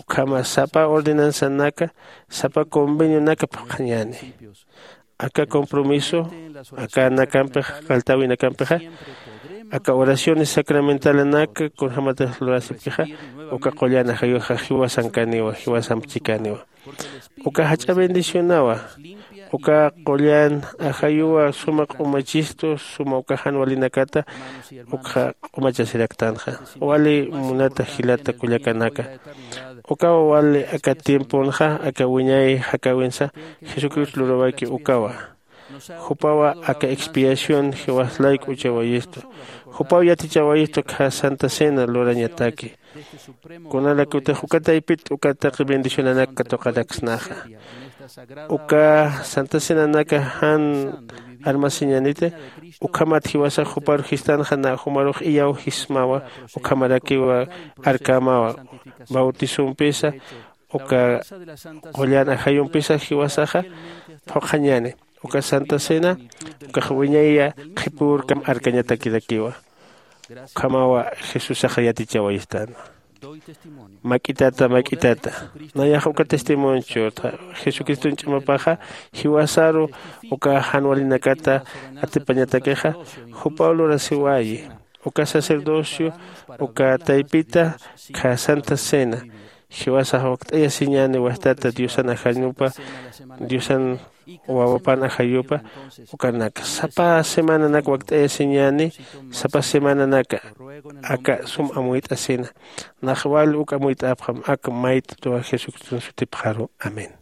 Ukhama sapa ordenanzanaka sapa convenionaka phuqhañäni. Aka compromiso akanakampix qalltäwinakampixa aka oraciones sacramentalanaka kunjämatix lurasipkixa uka qullan ajayuxa jiwasankaniwa jiwasamp chikaniwa. Uka jach'a bendicionawa. Uka qullan ajayuwa suma q'umachistu suma uka jan walinakata ukxa q'umachasiraktanxa. Wali munata jilata kullakanaka, ukawa wali aka tiemponxa aka wiñay jakäwinsa jesucristo lurawayki ukawa. Jupawa aka expiación jiwas layku uchawayistu. Jupaw yatichawayistu kha santa cena lurañataki. Kunalakutix uka taypit uka taqi bendicionanak katuqaraksnaxa. Uka santa cenanaka jan armasiñaniti. Ukhamat jiwasax juparu jistanxa na jumarux iyawjismawa. Ukhamarakiwa arkämawa bautizompisa uka qullan ajayumpisa jiwasaxa phuqhañäni. Uka santa cena ukax wiñaya qhipürkam arkañatakirakiwa. Ukhamawa jesusaxa yatichawayistänwa. Mak'itata mak'itata, nayax uka testimonio jesucriston ch'amapaxa jiwasaru uka jan walinakata atipañatakixa, jupaw lurasiwayi uka sacerdocio uka taypita khä santa cena jiwasax wakt'ayasiñäni wajtata diosan ajañupa diosan wawapan ajayupa ukanaka sapa semananak wakt'ayasiñäni. Sapa semananaka aka sum amuyt'asina nax wal uk amuyt'apxam ak mayt'tuwa jesucriston sutipxaru. Amén.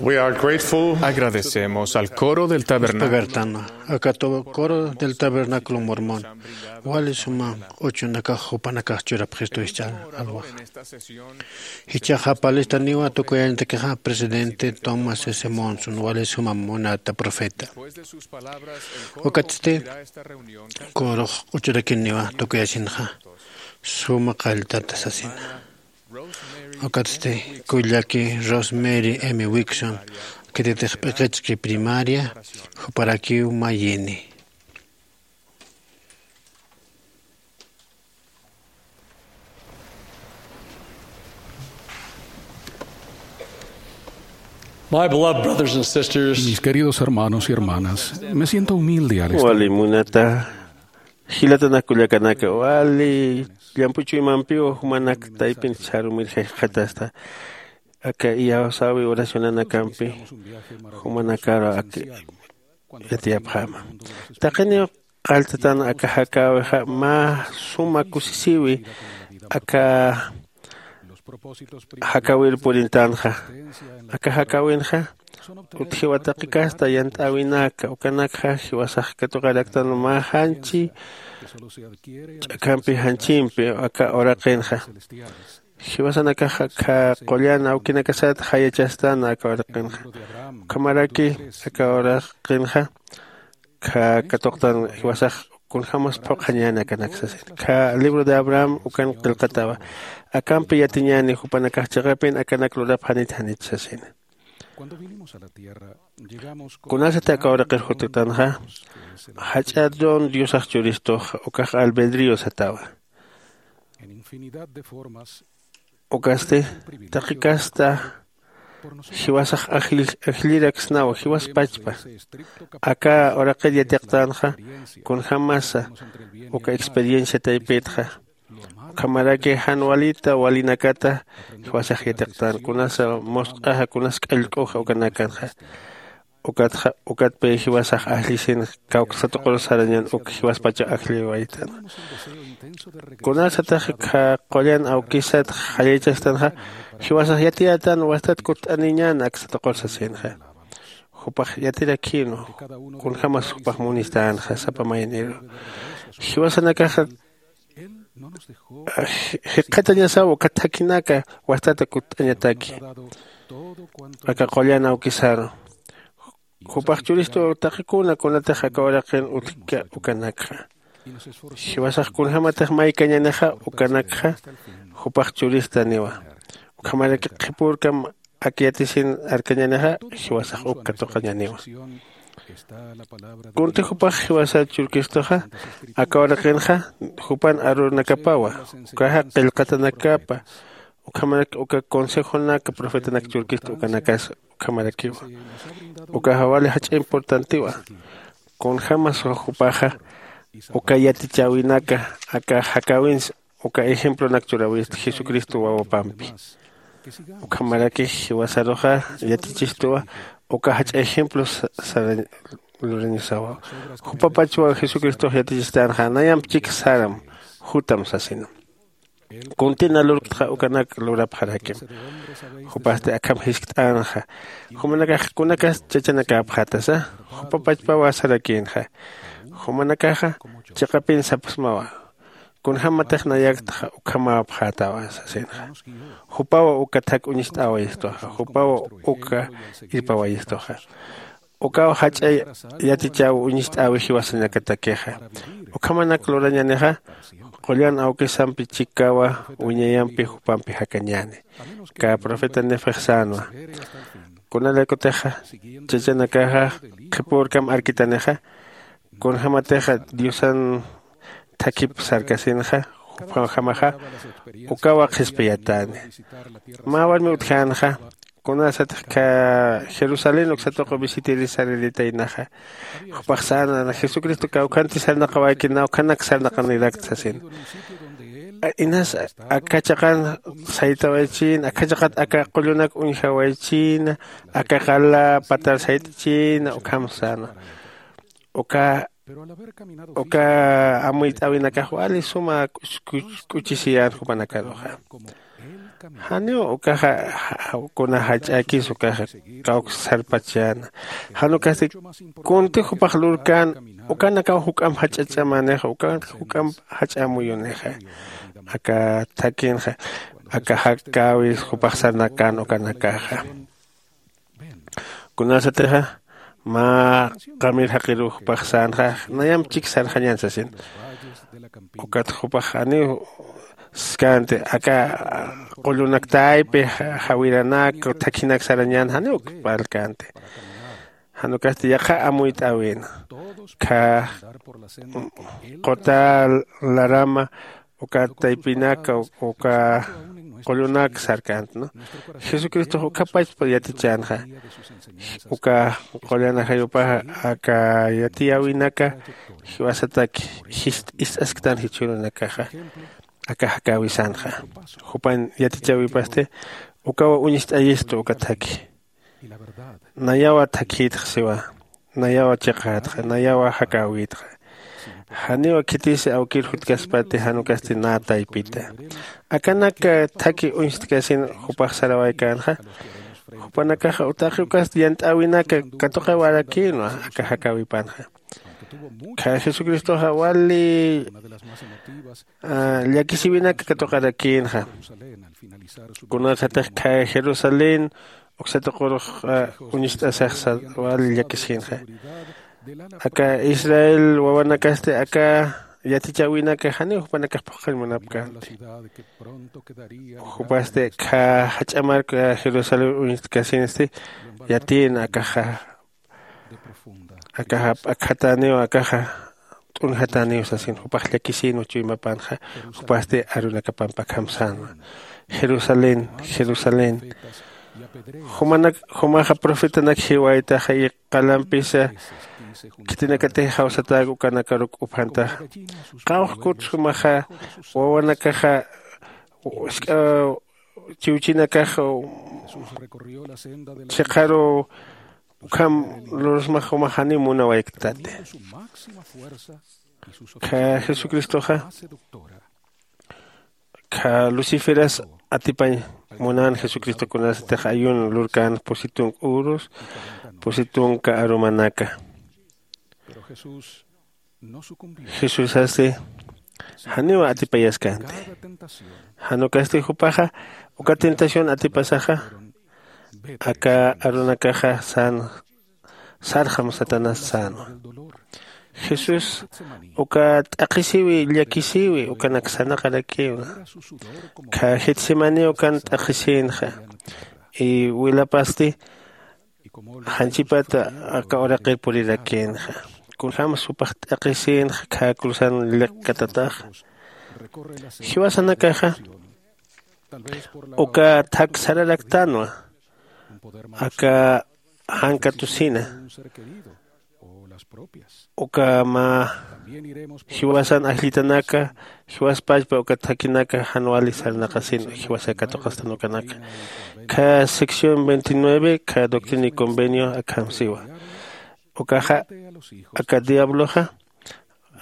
Agradecemos al coro del tabernáculo. Aka coro del tabernáculo mormón wali suma q'uchunakax jupanakax churapxistu. Jichhaxa palistaniwa tukuyañatakixa presidente Thomas S Monson wali suma munata profeta. Ukatsti corox q'uchurakiniwa tukuyasinxa suma qalltata sasina. Ukatsti kullaki Rosemary M Wixon, khitatix p'iqichki primaria, juparakiw mayini. My beloved brothers and sisters, mis queridos hermanos y hermanas, me siento humilde al estar wali munata jilatanakullakanaka wali llampuchuymampiw jumanak taypin charumir jayxatasta aka iyawsawi oracionanakampi jumanakaru aka yatiyapxama. Taqiniw qalltatan aka jakäwixa mä suma kusisiwi aka jakäwir purintanxa. Aka jakäwinxa utjiwa taqi kasta yant'äwinaka ukanakxa jiwasax katuqaraktan mä janchi ch'akampi janchimpi aka uraqinxa. Jiwasanakax aka qullan awkinakasat jayachastan aka uraqinxa. Ukhamaraki aka uraqinxa katuqtan jiwasax kunjämas phuqhañäni akanak sasin. Kha libro de Abraham ukan qillqatawa. Akampi yatiñäni jupanakax chiqapin akanak lurapxanit janit sasina. Kunasati aka uraqir juttanxa jach'a don Diosax churistux ukax albedrío satawa. Ukasti taqi kasta jiwasax ajlliraksnawa jiwaspachpa. Aka uraqir yatiqtanxa kunjämasa uka experiencia taypitxa. Ukhamaraki jan walita walinakata jiwasax yatiqtan kunasa musq'axa kunas k'allk'uxa ukanakanxa. Ukatxa ukatpi jiwasax ajllisin kawksatuqur sarañan uk jiwaspacha ajlliwaytan. Kunasatax kha qullan awkisat jayaychastanxa jiwasax yatiyätan wastat kutt'aniñan aksatuqur sasinxa. Jupax yatirakïnwa kunjämas jupax munistänxa sapa mayniru. Jiwasanakaxa jikxatañasaw uka thakhinaka wastata kutt'añataki aka qullan awkisaru. Jupax churistu taqikuna kunatix aka uraqin utjka ukanakxa. Jiwasax kunjämatix maykañänixa ukanakxa jupax churistaniwa. Ukhamaraki qhipürkam ak yatisin arkañänixa jiwasax uk katuqañäniwa. Kunti jupax jiwasat churkistuxa aka uraqinxa jupan arurnakapawa ukaxa qillqatanakapa. Ukhamarak uka consejonaka profetanak churkistu ukanakas ukhamarakiwa. Ukaxa wali jach'a importantiwa. Kunjämas jupaxa uka yatichäwinaka aka jakäwins uka ejemplonak churäwistu jesucristo wawapampi. Ukhamaraki jiwasaruxa yatichistuwa uka jach'a ejemplo sarañ lurañasawa. Jupapachwa jesucristox yatichistänxa nayamp chik saram jutam sasina. Kuntina lurktxa ukanak lurapxarakim. Jupasti akham jiskt'änxa. Jumanakax kunakas chachanakäpxätasa jupapachpawa sarakïnxa. Jumanakaxa chiqapin sapxsmawa kunjämatix nayaktxa ukhamäpxätawa sasinxa. Jupawa uka thak uñst'äwayistuxa jupawa uka irpawayistuxa. Ukaw jach'a yatichäw uñst'äwi jiwasanakatakixa. Ukhamanak lurañänixa qullan awkisampi chikawa wiñayampi jupampi jakañäni. Kä profeta nefex sänwa. Kunarakutixa chachanakaxa qhipürkam arkitanixa kunjämatixa diosan thakhip sarkasinxa jupjamaxa ukawa qhispiyatäni. Mä warmi utjänxa kunasatix kä jerusalén uksatuqu visitirisariritaynaxa. Jupax säna jesucristo kawkhanti sarnaqawayki nawkhanak sarnaqanirakt sasin. Inas aka chaqan saytawaychïna aka chaqat aka qullunak uñjawaychïna aka qala patar sayt'chïna ukham säna. Uka uka amuyt'äwinakax wali suma k'uchisiyän jupanakaruxa. Janiw ukaxa kuna jach'akis ukaxa kawk sarpachäna. Jan ukasti kunti jupax lurkän ukanakaw juk'amp jach'ach'amänixa ukan juk'amp jach'amuyunixa. Aka thakinxa aka jakäwis jupax sarnakän ukanakaxa. Kunasatixa mä qamir jaqiruw jupax sänxa nayamp chik sarxañän sasin. Ukat jupax janiw skänti aka qullunak taypi jawiranak thakhinak sarañän janiw parlkänti. Jan ukasti yaqha amuyt'äwin kha quta larama uka taypinaka uka qullunak sarkänti. Jesucristox ukhapachpa yatichänxa uka qullan ajayupaxa aka yatiyäwinaka jiwasataki ist'asktan jichhürunakaxa aka jakäwisanxa. Jupan yatichäwipasti ukawa uñst'ayistu uka thakhi. Nayawa thakhïtxa siwa. Nayawa chiqätxa nayawa jakäwïtxa. Janiw khitisi awkir jutkaspati jan ukasti nä taypita. Akanak thakhi uñstkasin jupax sarawaykänxa jupanakaxa taqi ukasti yant'äwinaka katuqawarakïnwa aka jakäwipanxa. Kha jesucristoxa wali llakisiwinaka katuqarakïnxa. Kunasatix kha jerusalén uksa tuqurux uñst'asaxsa wali llakisïnxa. Aka israel wawanakasti aka yatichäwinaka janiw jupanakax phuqhañ munapkänti. Jupasti kha jach'a marka jerusalén uñstkasinsti yatïna akaxa akaxa p'akjatäniw akaxa t'unjatäniw sasin jupax llakisïnwa chuymapanxa. Jupasti arunakapamp akham sänwa jerusalén jerusalén jumanak jumaxa profetanak jiwaytaxa y qalampisa khitinakatix jawsatäk ukanakaruk uphantaxa. Qawqkut jumaxa wawanakaxa chiwchinakax chiqaru ukham lursmax jumax janiw munawayktati. Kha jesucristoxa kha luciferas atipañ munän jesucristo kunasatix ayun lurkän pusi tunka urus pusi tunka arumanaka. Jesusasti janiw atipayaskänti. Jan ukasti jupaxa uka tentación atipasaxa aka arunakaxa sän sarxam satanás sänwa. Jesús uka t'aqhisiwi llakisiwi ukanak sarnaqarakïwa. Kha getsemaní ukan t'aqhisïnxa y wilapasti janchipat aka uraqir purirakïnxa. Kunjämas jupax t'aqhisïnxa kha cruzan lliqkatataxa. Jiwasanakaxa uka thak sararaktänwa aka jan katusina uka mä jiwasan ajllitanaka jiwaspachpa uka thakinaka jan wali sarnaqasin jiwasa katuqastan ukanaka. Kha sección veintinueve kha doctrina y convenio akham siwa. Ukaxa aka diabloxa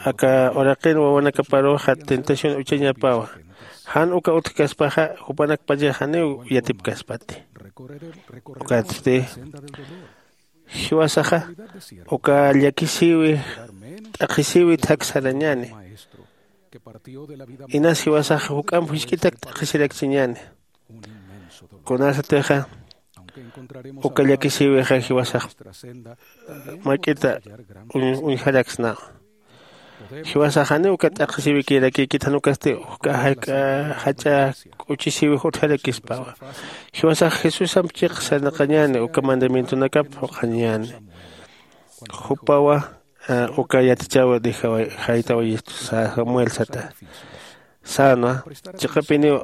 aka uraqin wawanakaparuxa tentación uchañapawa. Jan uka utjkaspaxa jupanakpachax janiw yatipkaspati. Ukatsti jiwasaxa uka llakisïwi t'aqhisïwi thak sarañäni. Inas jiwasaxa juk'amp jisk'itak t'aqhisirakchiñäni. Kunasatixa uka llakisïwixa jiwasax mak'ita uñjaraksnawa. Jiwasax janiw uka t'aqhisïwikirakïkit jan ukasti uka jak'a jach'a k'uchisïwix utjarakispawa. Jiwasax jesusamp chiq sarnaqañäni uka mandamientonakap phuqhañäni. Jupawa uka yatichäwi jaytawayistu samuel sata. Sänwa chiqapiniw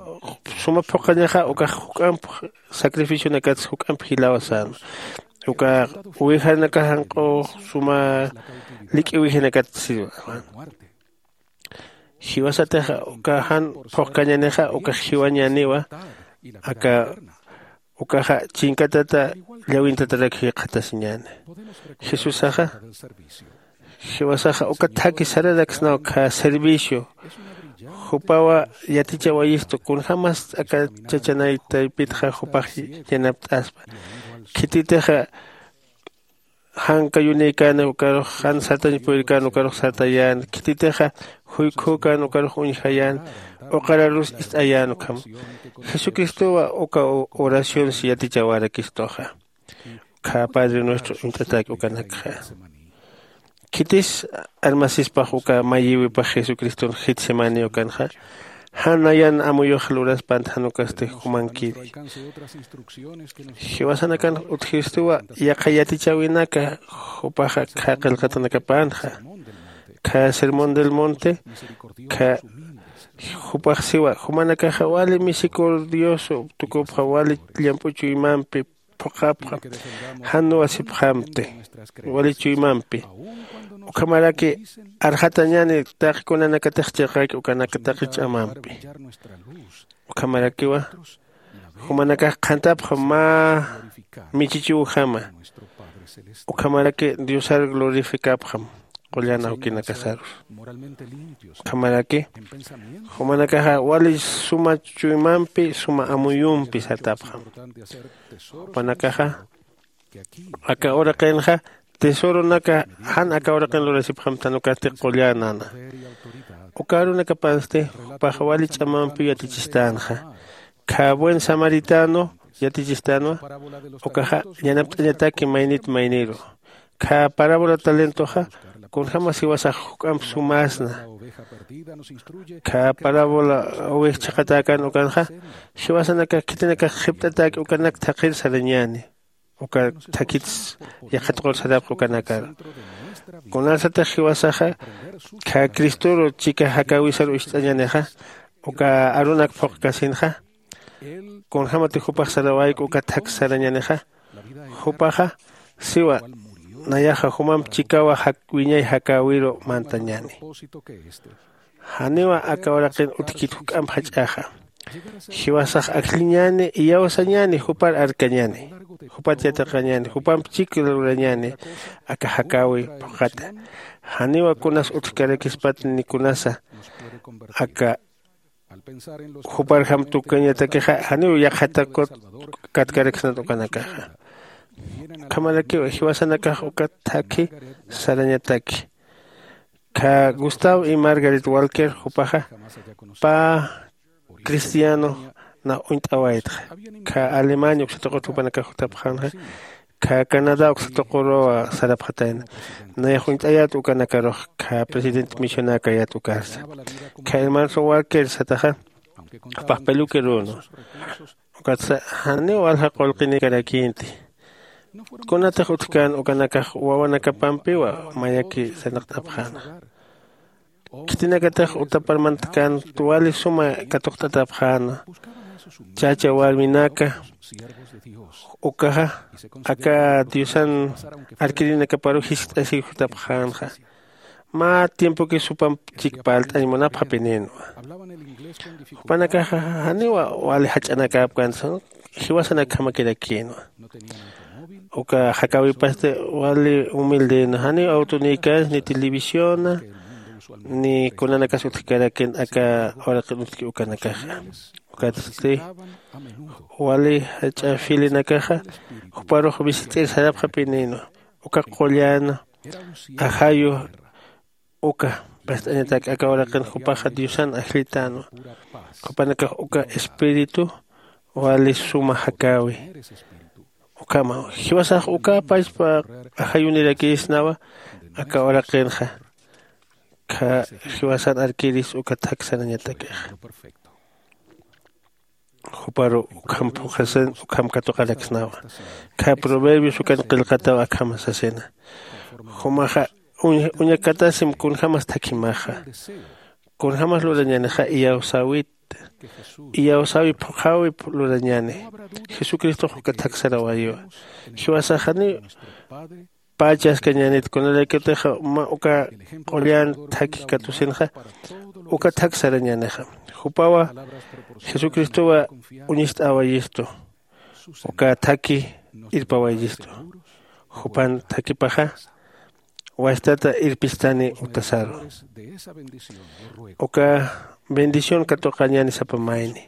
suma phuqhañaxa ukax juk'amp sacrificionakatsa juk'amp jilawa sänwa. Uka uwijanakax janq'ux suma lik'i uwijanakat siwa. Jiwasatix uka jan phuqkañänixa ukax jiwañäniwa. Aka ukaxa chinkatata llawintatarak jikxatasiñäni. Jesusaxa jiwasaxa uka thaki sararaksnaw kha servicio Jupawa yatichawayistu kunjämas aka chachanay taypitxa jupax yanapt'aspa. Khititixa jankayunïkän ukarux jan sartañ puyirkän ukarux sartayän. Khititixa juykhükän ukarux uñjayän. Uqararus ist'ayän ukham jesucristowa uka oracionsi yatichawarakistuxa. Kha padre nuestro uñt'atäki ukanakxa khitis armasispax uka mayïwipax jesucriston getsemaní ukanxa. Jan nayan amuyux luraspant jan ukasti jumankiri. Jiwasanakan utjistuwa yaqha yatichäwinaka jupaxa kha qillqatanakapänxa. Kha sermón del monte kha jupax siwa jumanakaxa wali misericordios tukupxa wali llamp'u chuymampi phuqhapxam jan nuwasipxamti wali chuymampi. Ukhamaraki arxatañäni taqi kunanakatix chiqaki ukanaka taqi ch'amampi. Ukhamarakiwa jumanakax qhantapxam mä michichiwjama. Ukhamaraki diosar glorificapxam qullan awkinakasarus. Ukhamaraki jumanakaxa wali suma chuymampi suma amuyumpi sartapxam. Jupanakaxa aka uraqinxa tesoronaka jan aka uraqin lurasipxamtan ukasti qullänana. Uka arunakapansti jupaxa wali ch'amampiw yatichistänxa. Kha buen samaritano yatichistänwa. Ukaxa yanapt'añataki maynit mayniru. Kha parábola talentoxa kunjämas jiwasax juk'amp sumäsna. Kha parábola uwix chhaqhatäkän ukanxa jiwasanakax khitinakax qhipt'atäki ukanak thaqhir sarañäni. Uka thakits yaqha tuqur sarapxi ukanakar. Kunasatix jiwasaxa kha cristoru chika jakäwisaru ist'añänixa uka arunak phuqkasinxa kunjämatix jupax sarawayku uka thak sarañänixa. Jupaxa siwa nayaxa jumamp chikawa wiñay jakäwiru mantañäni. Janiwa aka uraqin utjkit juk'amp jach'axa. Jiwasax ajlliñäni iyawsañäni jupar arkañäni. Jupat yatiqañäni jupamp chik lurañäni aka jakäwi phuqhata. Janiwa kunas utjkarakispat ni kunasa aka juparjam tukañatakixa janiw yaqhatakut katkaraksnat ukanakaxa. Ukhamarakiw jiwasanakax uka thakhi sarañataki. Kha gustavo y margaret walker jupaxa pä cristiano na uñt'awaytxa. Kha alemania uksatuqut jupanakax jutapxänxa. Kha canadá uksatuquruwa sarapxatayna. Nayax uñt'ayät ukanakarux kha presidente misionäkayät ukarsa. Kha hermano walker sataxa jupax peluquerunwa. Ukatsa janiw walja qullqinïkarakïnti. Kunatix utjkän ukanakax wawanakapampiwa mayaki sarnaqt'apxäna. Khitinakatix utapar mantkän wali suma katuqt'atapxäna. Chacha warminaka ukaxa aka diosan arkirinakaparu jiskt'asiw jutapxänxa. Mä tiempoki supamp chik parlt'añ munapxapinïnwa. Jupanakaxa janiwa wali jach'anakäpkänsa jiwasanakjamakirakïnwa. Uka jakäwipasti wali humildena janiw awtonïkänsa ni televisiona ni kunanakas utjkarakin aka uraqin utjki ukanakaxa. Ukatsti wali jach'a filinakaxa juparux visit'ir sarapxapinïnwa. Uka qullan ajayu uka past'añatak aka uraqin jupaxa diosan ajllitänwa. Jupanakax uka espíritu wali suma jakäwi. Ukhama jiwasax uka pachpa ajayunirakïsnawa. Aka uraqinxa kha jiwasan arkiris uka thak sarañatakixa. Juparu ukham phuqhasin ukham katuqaraksnawa. Kha proverbios ukan qillqataw akham sasina. Jumaxa uñakatasim kunjämas thakhimaxa. Kunjämas lurañänixa iyawsäwit iyawsäwi phuqhäwip lurañäni. Jesucristox uka thak sarawayiwa. Jiwasaxani pachaskañänit kunalaykutixa mä uka qullan thakhi katusinxa uka thak sarañänixa. Jupawa jesucristowa uñist'äwayistu. Uka thakhi irpawayistu. Jupan thakhipaxa wastata irpistani utasaru. Uka bendición katuqañäni sapa mayni.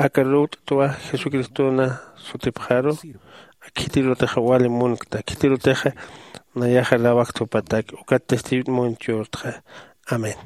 Aka lurt'twa Jesucristona sutipxaru, khitirutixa wali munkta, khitirutixa nayaxa lawakt jupatak, ukat testimonio churtxa. Amén.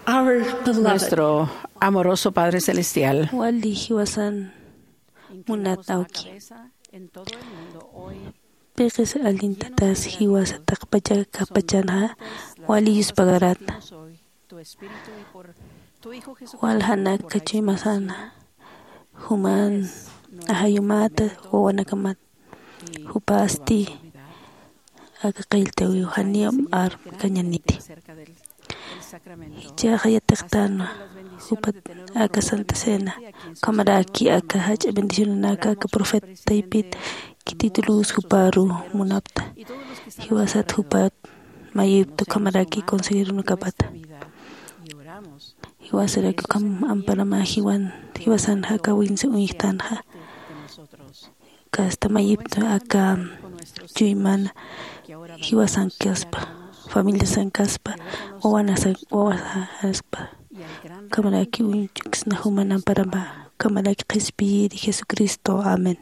Our beloved. Nuestro amoroso Padre Celestial. Wali jiwasan munat awki. Piqis allintatas jiwasa taqpacha kapachanxa wali yuspagarata. Waljanak kachimasana juman ajayumata wawanakamat jupasti aka qilltawiw janiyam armkañaniti. Jichhaxa yatiqtänwa jupat aka Santa Cena, ukhamaraki aka jach'a bendicionanaka aka profeta taypit khititulus juparu munapta. Jiwasat jupat mayipta ukhamaraki consejeronakapata. Jiwasaraki ukham amparama jiwan jiwasan jaka winsi uñjtanxa. Kasta mayipta aka chuymana jiwasankaspa, familiasankaspa, wawanasa wawasaspa, ukhamaraki uñch'uksna juman amparama, ukhamaraki qhispiyiri Jesucristo. Amén.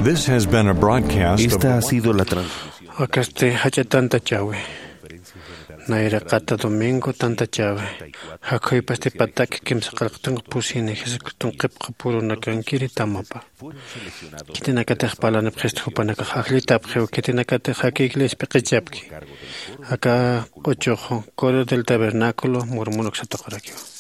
This has been a broadcast of Esta ha sido la transmisión. Akasti jach'a tantachäwi. Nayraqata domingo tantachäwi. Jakhuypasti pataki kimsa qillqatanku pusini Jesucriston qhipqapurunakankiri tamapa. Khitinakatix parlanipxistu jupanakax ajllitapxiw, khitinakatix aka iglesia p'iqichapki. Aka q'uchux Coro del Tabernáculo Mormon uksataqurakiw.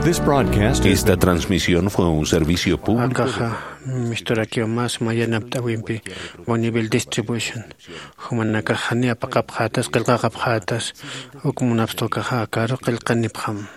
This broadcast is Esta transmisión fue un servicio público. Akaxa misturakiw mas mayanapt'awimpi Bonneville Distribution. Jumanakax jani apaqapxätas, qillqaqapxätas, uk munapxta ukaxa akaru qillqanipxam.